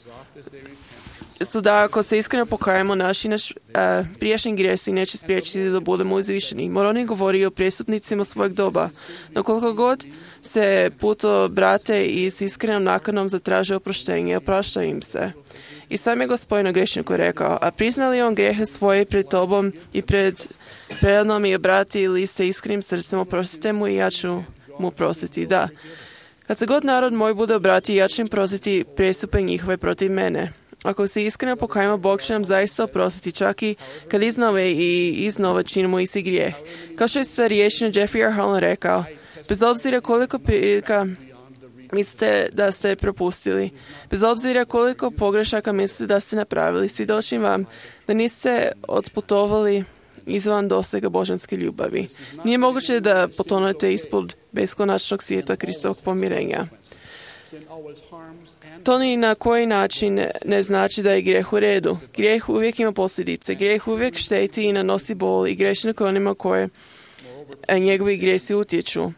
su da ako se iskreno pokajemo, naši naš, a, prijašnji grijesi neće spriječiti da budemo uzvišeni. Moroni govori o prijestupnicima svojeg doba. No koliko god se puto brate i s iskrenom nakanom zatraže oproštenje, oprašta im se. I sam je Gospodin grešniku rekao: a priznali on grijehe svoje pred tobom i pred prednom i obrati ili se iskrenim srcem, oprostite mu i ja ću mu prostiti. Da. Kad se god narod moj bude obrati, ja ću im prostiti prestupe njihove protiv mene. Ako se iskreno pokajemo, Bog će nam zaista oprostiti, čak i kad iznove i iznova činimo isti grijeh. Kao što je sa riječima Jeffrey R. Holland rekao: bez obzira koliko prilika mislite da ste propustili, bez obzira koliko pogrešaka mislite da ste napravili, svjedočim vam da niste otputovali izvan dosega božanske ljubavi. Nije moguće da potonete ispod beskonačnog svijeta Kristovog pomirenja. To ni na koji način ne znači da je grijeh u redu. Grijeh uvijek ima posljedice. Grijeh uvijek šteti i nanosi bol i grešnika onima koje njegovi grijesi utječu.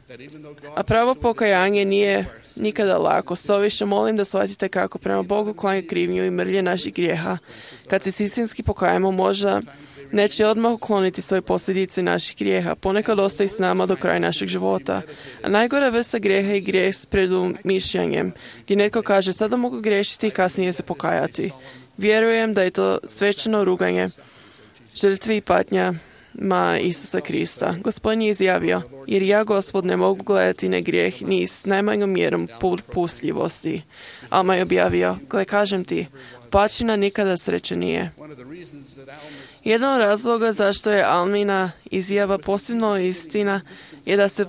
A pravo pokajanje nije nikada lako. Stoviše molim da shvatite kako prema Bogu klanja krivnju i mrlje naših grijeha. Kad se istinski pokajemo, možda neće odmah ukloniti svoje posljedice naših grijeha. Ponekad ostaje s nama do kraja našeg života. A najgora vrsta grijeha je grijeh s predumišljanjem, gdje netko kaže: sada mogu griješiti i kasnije se pokajati. Vjerujem da je to svečano ruganje žrtvi i patnja ma Isusa Krista. Gospodin je izjavio: jer ja, Gospod, ne mogu gledati na grijeh ni s najmanjom mjerom popustljivosti. Alma je objavio: gle, kažem ti, pačina nikada sreće nije. Jedan od razloga zašto je Almina izjava posebno istina je da se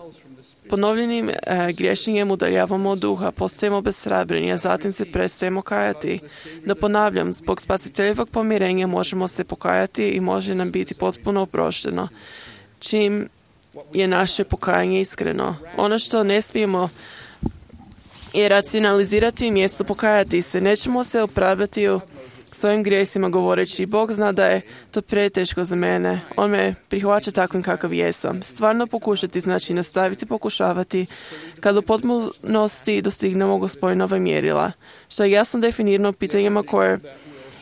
ponovljenim e, griješenjem udaljavamo od duha, postajemo besrabreni, a zatim se prestajemo kajati. Da ponavljam, zbog spasiteljevog pomirenja možemo se pokajati i može nam biti potpuno oprošteno, čim je naše pokajanje iskreno. Ono što ne smijemo je racionalizirati mjesto pokajati se. Nećemo se opravdati u svojim grijesima govoreći: Bog zna da je to preteško za mene. On me prihvaća takvim kakav jesam. Stvarno pokušati znači nastaviti pokušavati kad u potpunosti dostignemo Gospodinova mjerila, što je jasno definirano pitanjima koje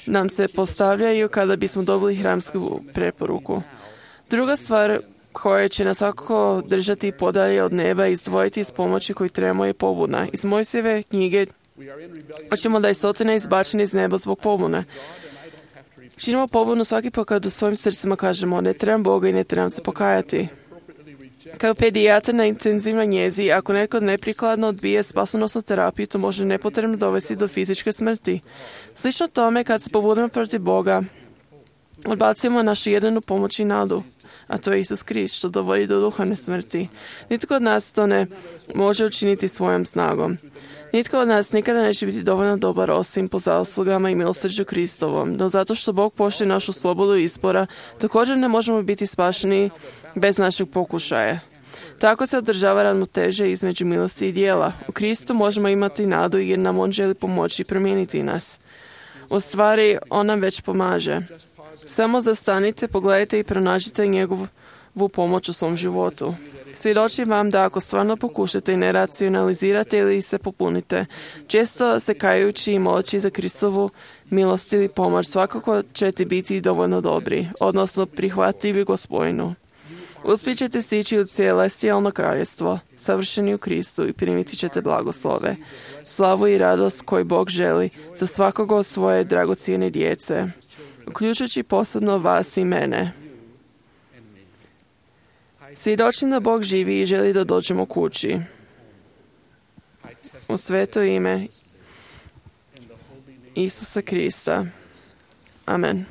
nam se postavljaju kada bismo dobili hramsku preporuku. Druga stvar koja će nas svakako držati podalje od neba i izdvojiti iz pomoći koju trebamo je pobuna. Iz Mojsijeve knjige hoćemo da je Sotona izbačen iz neba zbog pobune. Činimo pobunu svaki put kad u svojim srcima kažemo: ne trebam Boga i ne trebam se pokajati. Kao pedijatar na intenzivnoj njezi, ako netko neprikladno odbije spasonosnu terapiju, to može nepotrebno dovesti do fizičke smrti. Slično tome, kad se pobudimo protiv Boga, odbacujemo našu jedinu pomoć i nadu, a to je Isus Krist, što dovodi do duhovne smrti. Nitko od nas to ne može učiniti svojom snagom. Nitko od nas nikada neće biti dovoljno dobar osim po zaslugama i milosrđu Kristovom, no zato što Bog poštuje našu slobodu izbora, također ne možemo biti spašeni bez našeg pokušaja. Tako se održava ravnoteža između milosti i djela. U Kristu možemo imati nadu jer nam On želi pomoći i promijeniti nas. U stvari, On nam već pomaže. Samo zastanite, pogledajte i pronađite njegovu pomoć u svom životu. Svjedočim vam da ako stvarno pokušate i ne racionalizirate ili se popunite, često se kajući i moleći za Kristovu milost ili pomoć, svakako ćete biti dovoljno dobri, odnosno prihvatljivi Gospodinu. Uspjet ćete stići u celestijalno kraljestvo, savršeni u Kristu i primiti ćete blagoslove, slavu i radost koju Bog želi za svakoga od svoje dragocijene djece, uključujući posebno vas i mene. Svjedočim da Bog živi i želi da dođemo kući. U sveto ime Isusa Krista. Amen.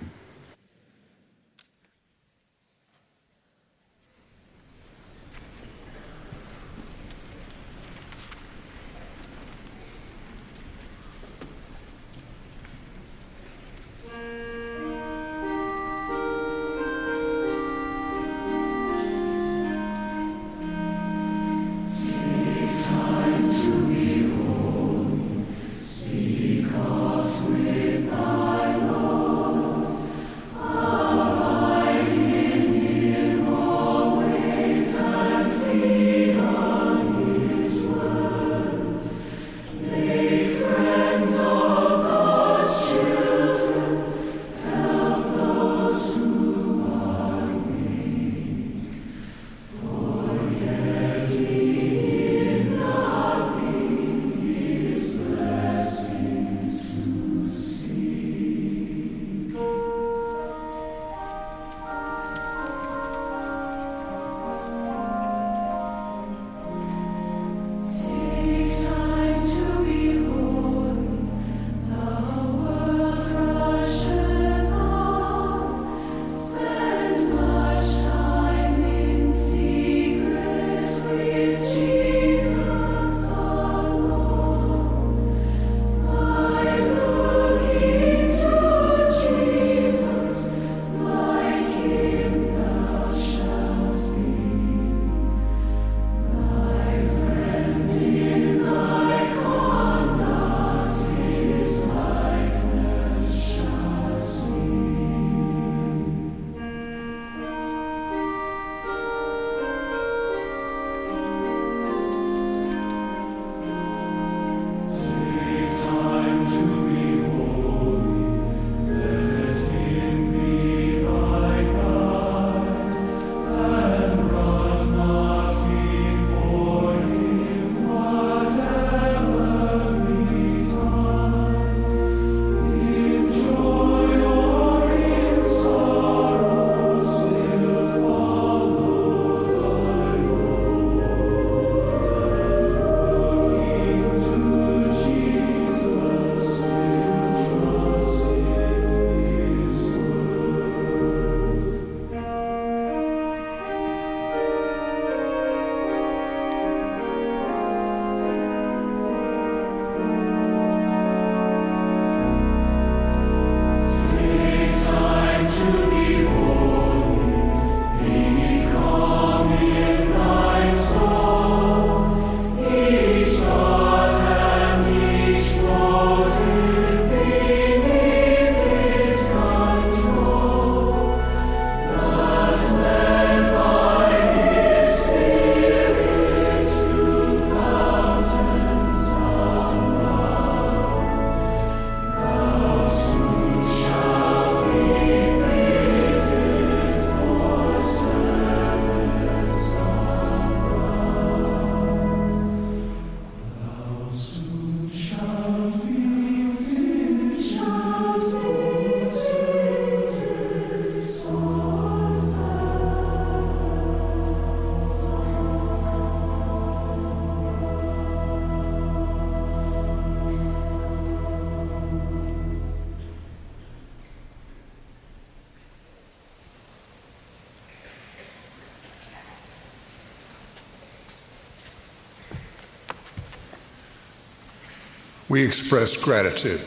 We express gratitude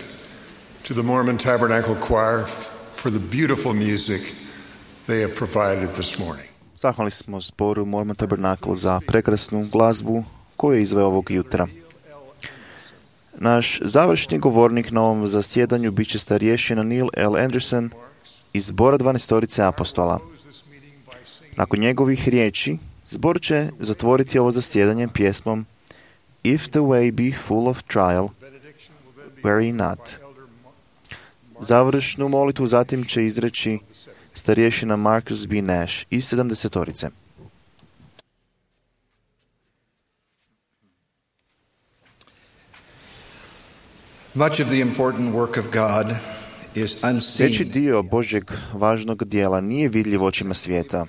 to the Mormon Tabernacle Choir for the beautiful music they have provided this morning. Zahvalni smo zboru Mormon Tabernacle za prekrasnu glazbu koju je izveo ovog jutra. Naš završni govornik na ovom zasjedanju bit će starješina Neil L. Anderson iz zbora dvanaestorice apostola. Nakon njegovih riječi, zbor će zatvoriti ovo zasjedanje pjesmom If the way be full of trial, worry not. Završnu molitvu zatim će izreći starješina Marcus B. Nash iz sedamdesetorice. Much of the important work of God is unseen. Veći dio Božjeg važnog dijela nije vidljiv očima svijeta.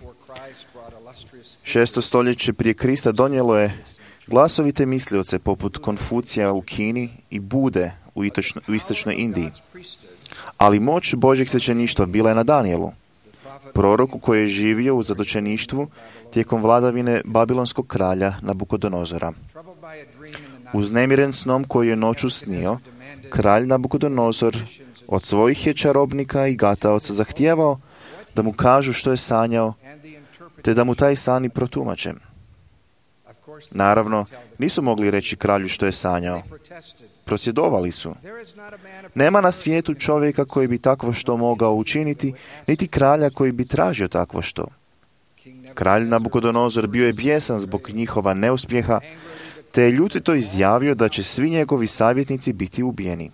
Šesto stoljeće prije Krista donijelo je glasovite mislioce poput Konfucija u Kini i Bude u, itočno, u istočnoj Indiji. Ali moć Božjeg svećeništva bila je na Danijelu, proroku koji je živio u zatočeništvu tijekom vladavine babilonskog kralja Nabukodonozora. Uznemiren snom koji je noću snio, kralj Nabukodonozor od svojih je čarobnika i gataoca zahtijevao da mu kažu što je sanjao, te da mu taj san i protumače. Naravno, nisu mogli reći kralju što je sanjao. Prosvjedovali su. Nema na svijetu čovjeka koji bi takvo što mogao učiniti, niti kralja koji bi tražio takvo što. Kralj Nabukodonozor bio je bijesan zbog njihova neuspjeha, te je ljutito izjavio da će svi njegovi savjetnici biti ubijeni.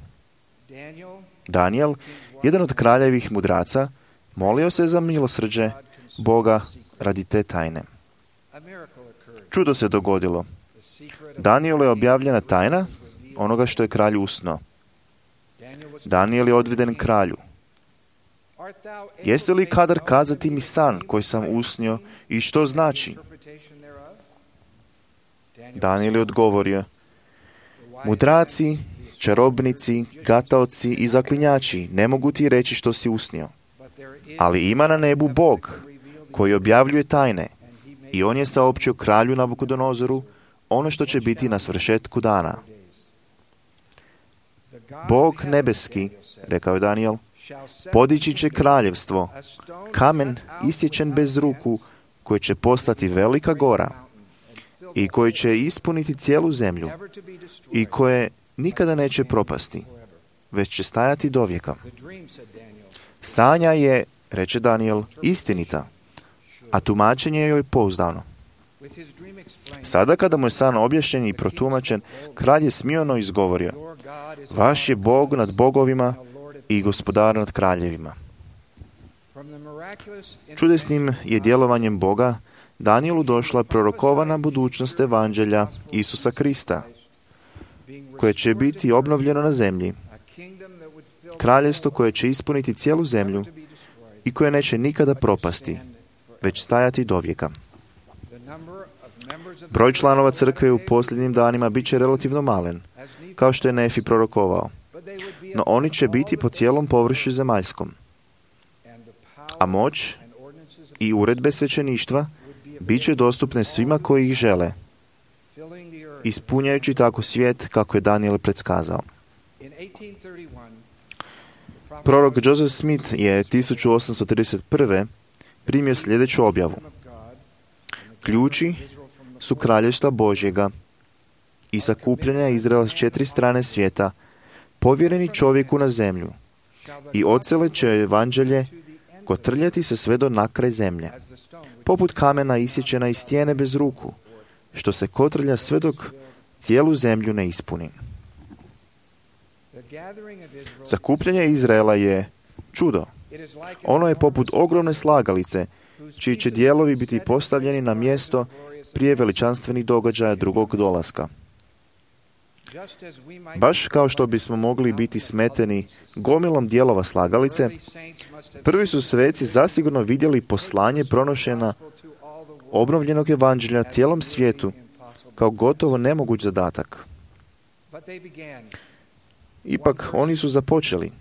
Danijel, jedan od kraljevih mudraca, molio se za milosrđe Boga radi te tajne. Čudo se dogodilo. Danijelu je objavljena tajna onoga što je kralj usno. Danijel je odveden kralju. Jesi li kadar kazati mi san koji sam usnio i što znači? Danijel je odgovorio: mudraci, čarobnici, gataoci i zaklinjači ne mogu ti reći što si usnio. Ali ima na nebu Bog koji objavljuje tajne i on je saopćio kralju Nabukodonozoru ono što će biti na svršetku dana. Bog nebeski, rekao je Danijel, podići će kraljevstvo, kamen isječen bez ruku, koji će postati velika gora i koji će ispuniti cijelu zemlju i koje nikada neće propasti, već će stajati dovijeka. Sanja je, reče Danijel, istinita, a tumačenje joj pouzdano. Sada kada mu je san objašnjen i protumačen, kralj je smiono izgovorio: vaš je Bog nad bogovima i gospodar nad kraljevima. Čudesnim je djelovanjem Boga Danijelu došla prorokovana budućnost evanđelja Isusa Krista, koje će biti obnovljeno na zemlji, kraljevstvo koje će ispuniti cijelu zemlju i koje neće nikada propasti, već stajati dovijeka. Broj članova crkve u posljednjim danima bit će relativno malen, kao što je Nefi prorokovao, no oni će biti po cijelom površju zemaljskom. A moć i uredbe svećeništva bit će dostupne svima koji ih žele, ispunjajući tako svijet kako je Danijel predskazao. Prorok Joseph Smith je tisuću osamsto trideset prve primio sljedeću objavu. Ključi su kraljevstva Božjega i sakupljanja Izraela s četiri strane svijeta, povjereni čovjeku na zemlju, i ocele će evanđelje kotrljati se sve do nakraj zemlje, poput kamena isječena iz stijene bez ruku, što se kotrlja sve dok cijelu zemlju ne ispuni. Sakupljanje Izraela je čudo. Ono je poput ogromne slagalice, čiji će dijelovi biti postavljeni na mjesto prije veličanstvenih događaja drugog dolaska. Baš kao što bismo mogli biti smeteni gomilom dijelova slagalice, prvi su sveci zasigurno vidjeli poslanje pronošena obnovljenog evanđelja cijelom svijetu kao gotovo nemoguć zadatak. Ipak oni su započeli,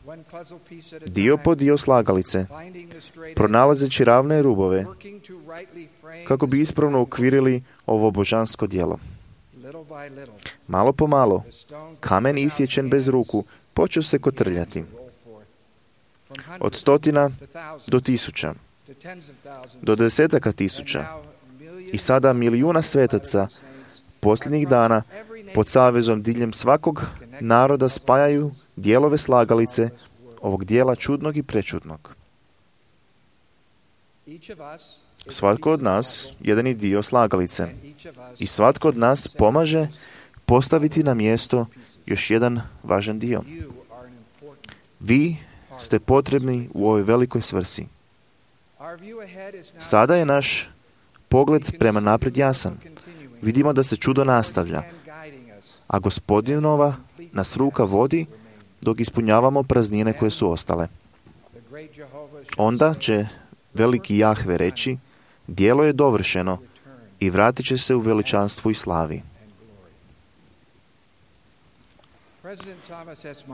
dio po dio slagalice, pronalazeći ravne rubove, kako bi ispravno ukvirili ovo božansko djelo. Malo po malo, kamen isječen bez ruku počeo se kotrljati. Od stotina do tisuća, do desetaka tisuća i sada milijuna svetaca posljednjih dana pod savezom diljem svakog naroda spajaju dijelove slagalice ovog dijela čudnog i prečudnog. Svatko od nas jedan je dio slagalice i svatko od nas pomaže postaviti na mjesto još jedan važan dio. Vi ste potrebni u ovoj velikoj svrsi. Sada je naš pogled prema naprijed jasan. Vidimo da se čudo nastavlja, a Gospodinova nas ruka vodi dok ispunjavamo praznine koje su ostale. Onda će veliki Jahve reći, djelo je dovršeno i vratit će se u veličanstvu i slavi.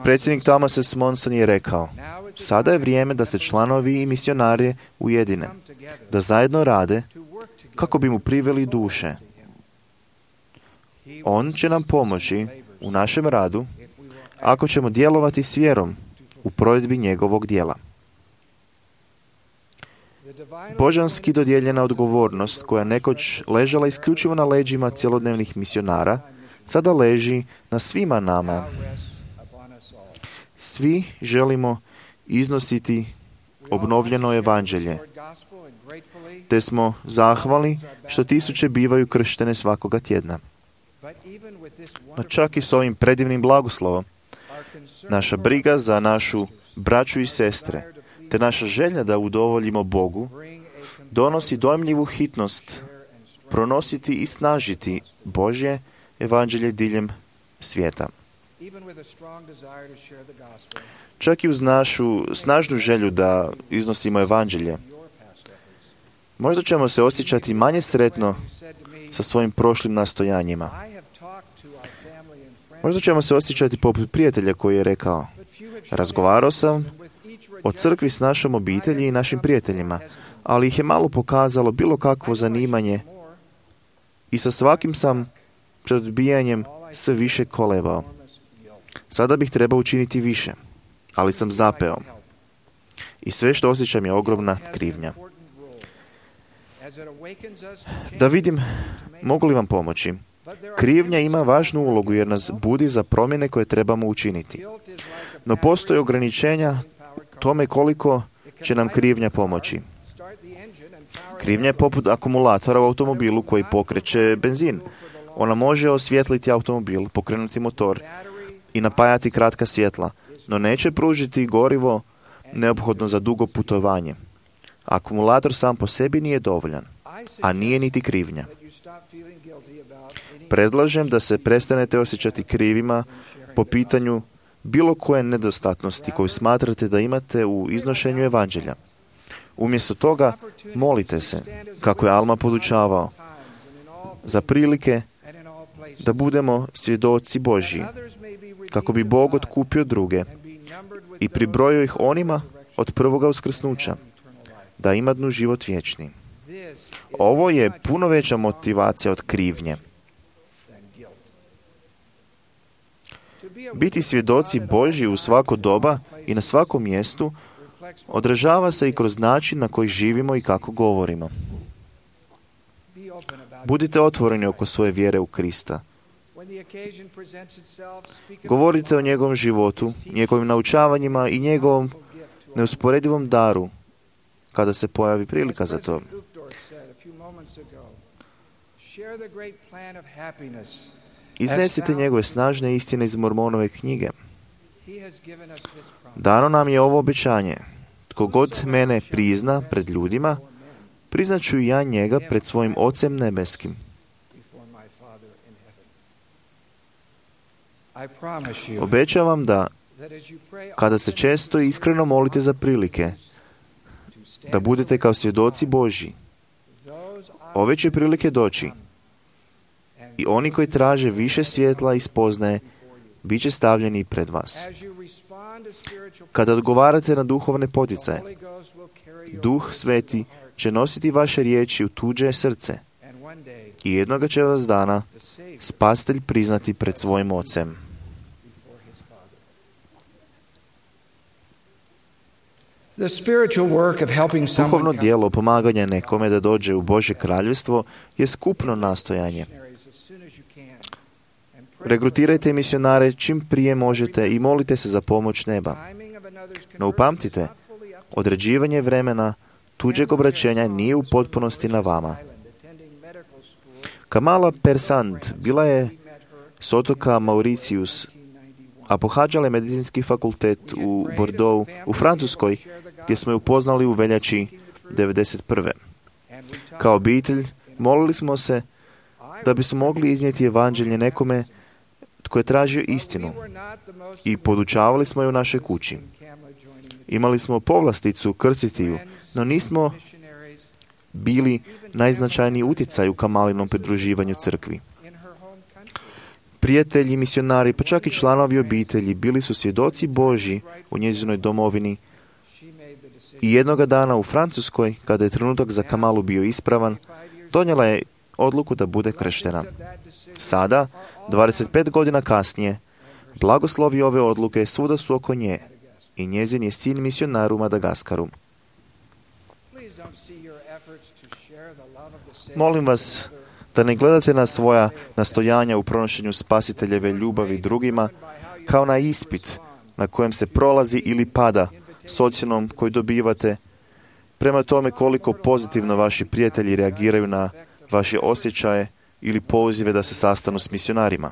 Predsjednik Thomas S. Monson je rekao, sada je vrijeme da se članovi i misionari ujedine, da zajedno rade kako bi mu priveli duše. On će nam pomoći u našem radu ako ćemo djelovati s vjerom u provedbi njegovog djela. Božanski dodijeljena odgovornost koja nekoć ležala isključivo na leđima cjelodnevnih misionara, sada leži na svima nama. Svi želimo iznositi obnovljeno evanđelje, te smo zahvali što tisuće bivaju krštene svakoga tjedna. No čak i s ovim predivnim blagoslovom, naša briga za našu braću i sestre, te naša želja da udovoljimo Bogu, donosi dojmljivu hitnost pronositi i snažiti Božje evanđelje diljem svijeta. Čak i uz našu snažnu želju da iznosimo evanđelje, možda ćemo se osjećati manje sretno sa svojim prošlim nastojanjima. Možda ćemo se osjećati poput prijatelja koji je rekao, razgovarao sam o crkvi s našom obitelji i našim prijateljima, ali ih je malo pokazalo bilo kakvo zanimanje i sa svakim sam pred odbijanjem sve više kolebao. Sada bih trebao učiniti više, ali sam zapeo. I sve što osjećam je ogromna krivnja. Da vidim, mogu li vam pomoći? Krivnja ima važnu ulogu jer nas budi za promjene koje trebamo učiniti. No postoje ograničenja tome koliko će nam krivnja pomoći. Krivnja je poput akumulatora u automobilu koji pokreće benzin. Ona može osvijetliti automobil, pokrenuti motor i napajati kratka svjetla, no neće pružiti gorivo neophodno za dugo putovanje. Akumulator sam po sebi nije dovoljan, a nije niti krivnja. Predlažem da se prestanete osjećati krivima po pitanju bilo koje nedostatnosti koju smatrate da imate u iznošenju evanđelja. Umjesto toga, molite se, kako je Alma podučavao, za prilike da budemo svjedoci Božji, kako bi Bog otkupio druge i pribrojio ih onima od prvoga uskrsnuća, da imadnu život vječni. Ovo je puno veća motivacija od krivnje. Biti svjedoci Božji u svako doba i na svakom mjestu odražava se i kroz način na koji živimo i kako govorimo. Budite otvoreni oko svoje vjere u Krista. Govorite o njegovom životu, njegovim naučavanjima i njegovom neusporedivom daru kada se pojavi prilika za to. Iznesite njegove snažne istine iz Mormonove knjige. Dano nam je ovo obećanje. Tko god mene prizna pred ljudima, priznaću i ja njega pred svojim Ocem nebeskim. Obećavam da, kada se često i iskreno molite za prilike, da budete kao svjedoci Božji. Ove će prilike doći. I oni koji traže više svjetla i spoznaje, bit će stavljeni pred vas. Kada odgovarate na duhovne poticaje, Duh Sveti će nositi vaše riječi u tuđe srce i jednoga će vas dana Spasitelj priznati pred svojim Ocem. Duhovno djelo pomaganja nekome da dođe u Božje kraljevstvo je skupno nastojanje. Regrutirajte misionare čim prije možete i molite se za pomoć neba. No upamtite, određivanje vremena tuđeg obraćenja nije u potpunosti na vama. Kamala Persand bila je s otoka Mauritius, a pohađala je medicinski fakultet u Bordeaux, u Francuskoj, gdje smo je upoznali u veljači devedeset prve. Kao obitelj molili smo se da bismo mogli iznijeti evanđelje nekome tko je tražio istinu i podučavali smo je u našoj kući. Imali smo povlasticu krstiti ju, no nismo bili najznačajniji utjecaj u Kamalinom pridruživanju crkvi. Prijatelji, misionari, pa čak i članovi obitelji bili su svjedoci Božji u njezinoj domovini i jednoga dana u Francuskoj, kada je trenutak za Kamalu bio ispravan, donijela je odluku da bude krštena. Sada, dvadeset pet godina kasnije, blagoslovi ove odluke svuda su oko nje i njezin je sin misionar u Madagaskaru. Molim vas da ne gledate na svoja nastojanja u pronošenju spasiteljeve ljubavi drugima kao na ispit na kojem se prolazi ili pada s ocjenom koju dobivate prema tome koliko pozitivno vaši prijatelji reagiraju na vaše osjećaje ili pozive da se sastanu s misionarima.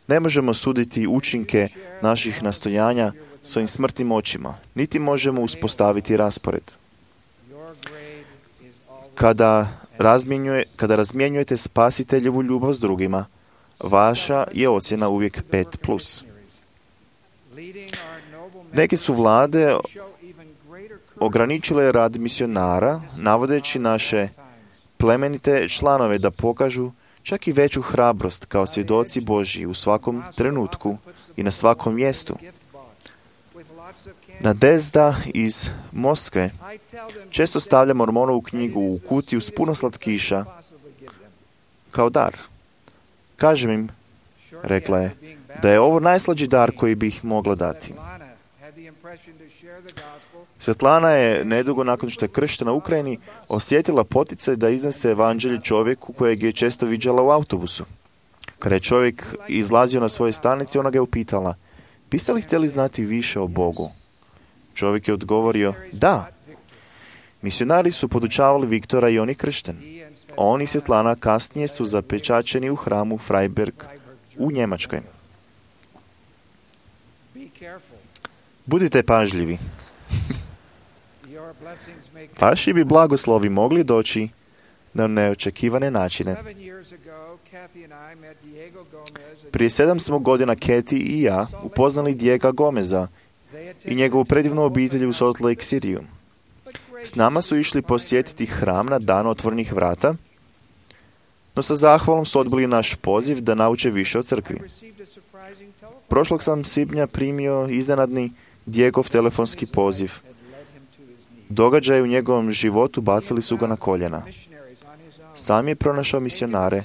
Ne možemo suditi učinke naših nastojanja svojim smrtnim očima, niti možemo uspostaviti raspored. Kada, razmjenjuje, kada razmjenjujete spasiteljevu ljubav s drugima, vaša je ocjena uvijek pet plus. Neke su vlade ograničile rad misionara, navodeći naše plemenite članove da pokažu čak i veću hrabrost kao svjedoci Božji u svakom trenutku i na svakom mjestu. Nadezda iz Moskve često stavlja Mormonovu knjigu u kutiju s puno slatkiša kao dar. Kažem im, rekla je, da je ovo najslađi dar koji bih mogla dati. Svetlana je nedugo nakon što je krštena u Ukrajini osjetila poticaj da iznese evanđelje čovjeku kojeg je često viđala u autobusu. Kada je čovjek izlazio na svoje stanice, ona ga je upitala, biste li htjeli znati više o Bogu? Čovjek je odgovorio, da. Misionari su podučavali Viktora i on je kršten. On i Svetlana kasnije su zapečačeni u hramu Freiberg u Njemačkoj. Budite pažljivi. Vaši bi blagoslovi mogli doći na neočekivane načine. Prije sedam smo godina Kathy i ja upoznali Diega Gomeza i njegovu predivnu obitelj u Salt Lake Cityu. S nama su išli posjetiti hram na dan otvorenih vrata, no sa zahvalom su odbili naš poziv da nauče više o crkvi. Prošlog sam svibnja primio iznenadni Diegov telefonski poziv. Događaje u njegovom životu bacili su ga na koljena. Sam je pronašao misionare,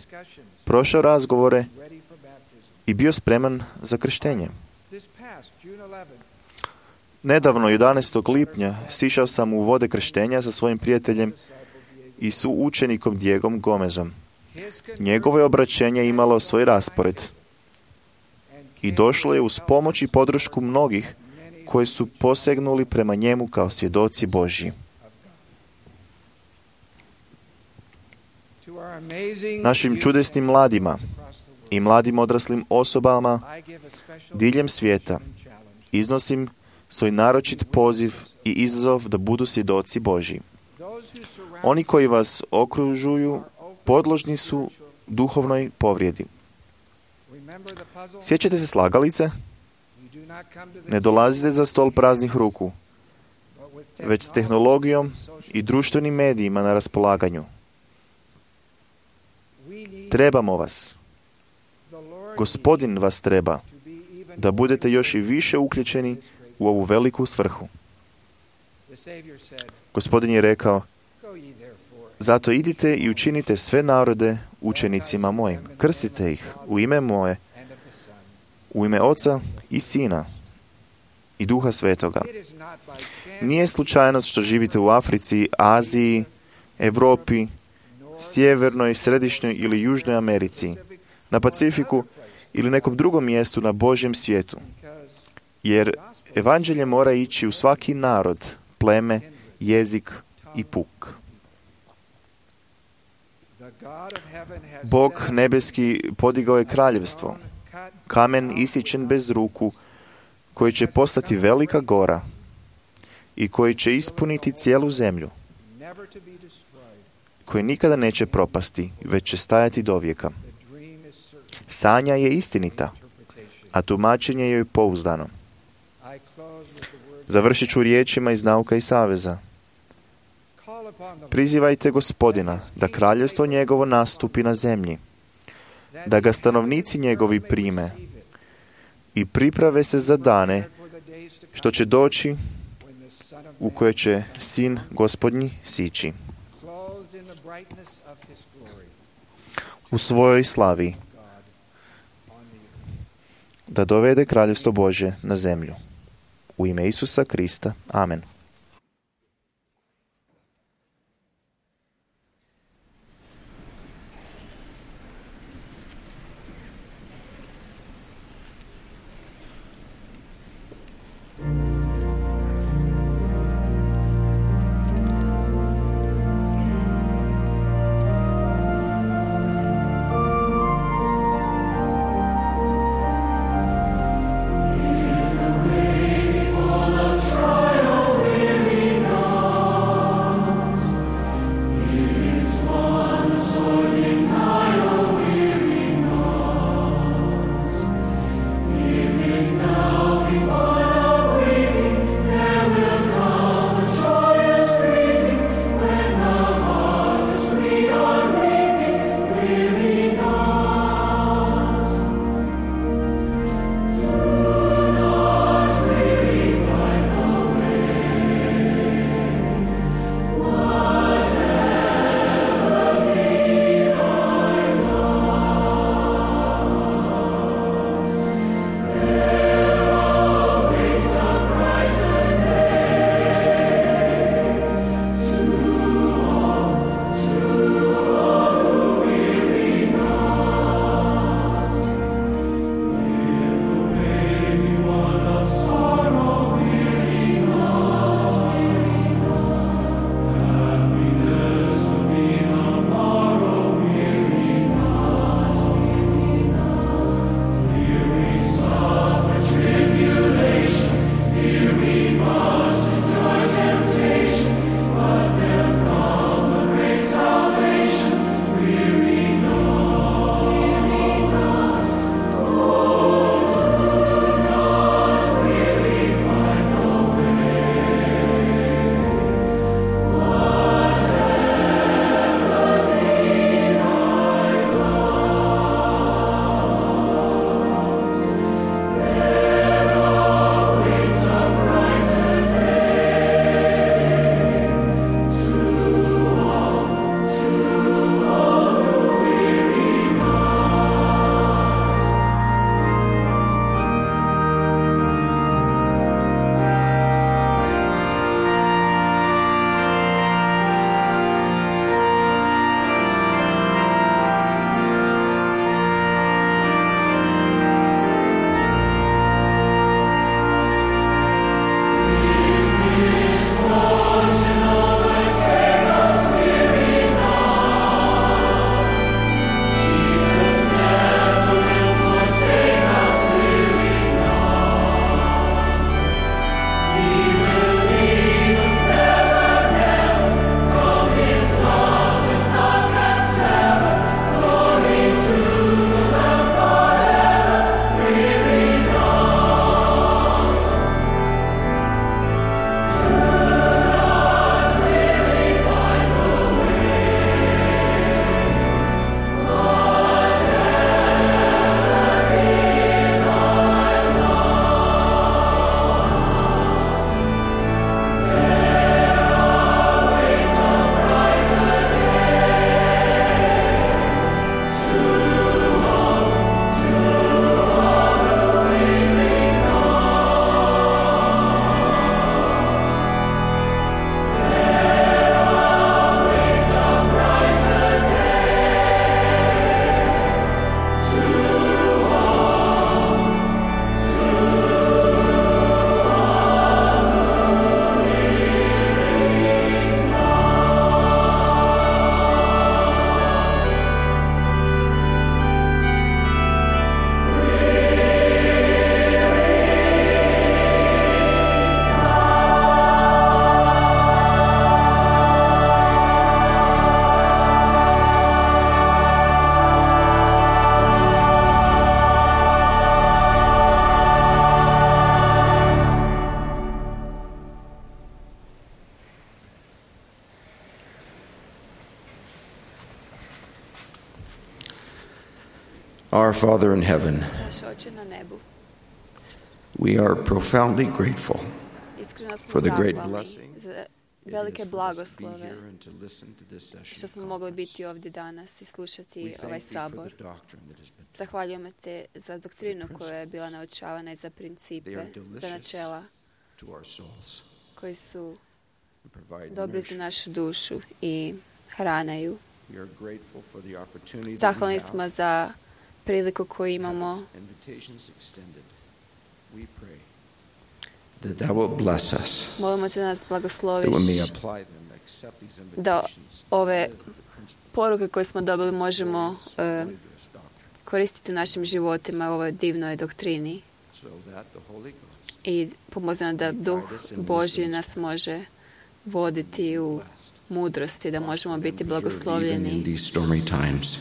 prošao razgovore i bio spreman za krštenje. Nedavno, jedanaestog lipnja, sišao sam u vode krštenja sa svojim prijateljem i suučenikom Diegom Gomezom. Njegovo je obraćenje imalo svoj raspored i došlo je uz pomoć i podršku mnogih koji su posegnuli prema njemu kao svjedoci Božji. Našim čudesnim mladima i mladim odraslim osobama diljem svijeta iznosim svoj naročit poziv i izazov da budu svjedoci Božji. Oni koji vas okružuju podložni su duhovnoj povrijedi. Sjećate se slagalice? Ne dolazite za stol praznih ruku, već s tehnologijom i društvenim medijima na raspolaganju. Trebamo vas. Gospodin vas treba da budete još i više uključeni u ovu veliku svrhu. Gospodin je rekao, zato idite i učinite sve narode učenicima mojim. Krstite ih u ime moje, u ime Oca i Sina i Duha Svetoga. Nije slučajnost što živite u Africi, Aziji, Europi, Sjevernoj, Središnjoj ili Južnoj Americi, na Pacifiku ili nekom drugom mjestu na Božjem svijetu. Jer evanđelje mora ići u svaki narod, pleme, jezik i puk. Bog nebeski podigao je kraljevstvo, kamen isječen bez ruku, koji će postati velika gora i koji će ispuniti cijelu zemlju, koji nikada neće propasti, već će stajati do vijeka. Sanja je istinita, a tumačenje je pouzdano. Završit ću riječima iz Nauka i saveza. Prizivajte Gospodina da kraljevstvo njegovo nastupi na zemlji, da ga stanovnici njegovi prime i priprave se za dane što će doći u koje će sin Gospodnji sići u svojoj slavi, da dovede kraljevstvo Božje na zemlju. U ime Isusa Krista. Amen. Full of trial. Our Father in heaven, Naš Oče na nebu, we are profoundly grateful iskreno smo for the great zahvalni blessing za it velike is for us to be blagoslove here and to listen to this session što smo of mogli conference. biti ovdje danas i We slušati thank ovaj thee for sabor. the doctrine that has been Zahvaljujemo te za doktrinu koja je bila naučavana i za principe, They are za delicious načela to our souls koji su and provide dobri za nourishment. našu dušu i hranaju. We are grateful for the opportunity that we Zahvalni have smo za priliku koju to imamo. have its invitations extended. We pray that thou wilt bless us, Molimo te da nas that blagosloviš, we may apply them, accept these da invitations, ove live the principles poruke koje smo dobili možemo of this e, glorious doctrine, koristiti u našim životima u ovoj divnoj doktrini so that the Holy Ghost i pomozi nam da Duh Božji nas može voditi u mudrosti, da možemo biti preserve even in blagoslovljeni these stormy times.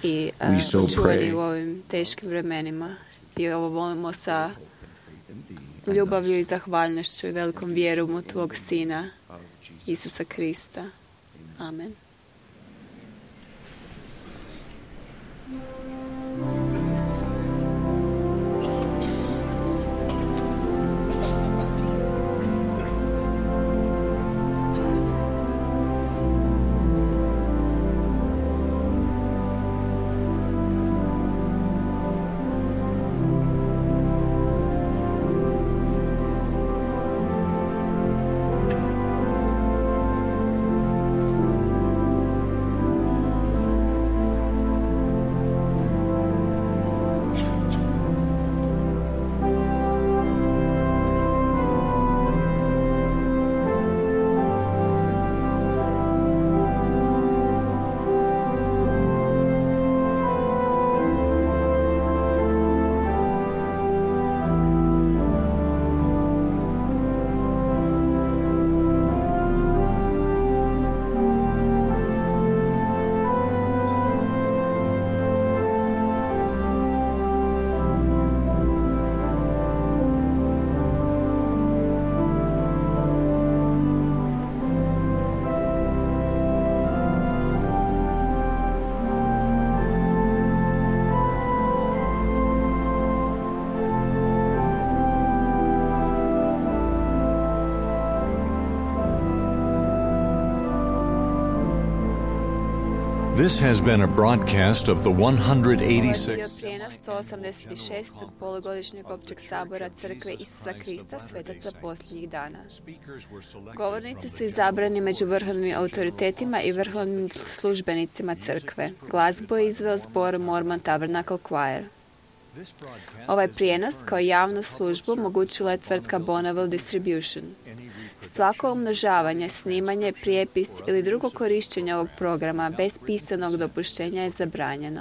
i We so uh, očuvani pray. u ovim teškim vremenima. I ovo volimo sa Hope and faith in thee and ljubavlju i us. zahvalnošću i velikom vjerom u Tvog Sina, Of Jesus. Isusa Krista. Amen. This has been a broadcast of the Ovo je bio eighty-sixth prijenos sto osamdeset šestog polugodišnjeg općeg sabora Crkve Isusa Krista svetaca posljednjih dana. Govornici su izabrani među vrhovnim autoritetima i vrhovnim službenicima Crkve. Glazbu je izveo zbor Mormon Tabernacle Choir. Ovaj prijenos kao javnu službu omogućila je tvrtka Bonneville Distribution. Svako umnožavanje, snimanje, prijepis ili drugo korištenje ovog programa bez pisanog dopuštenja je zabranjeno.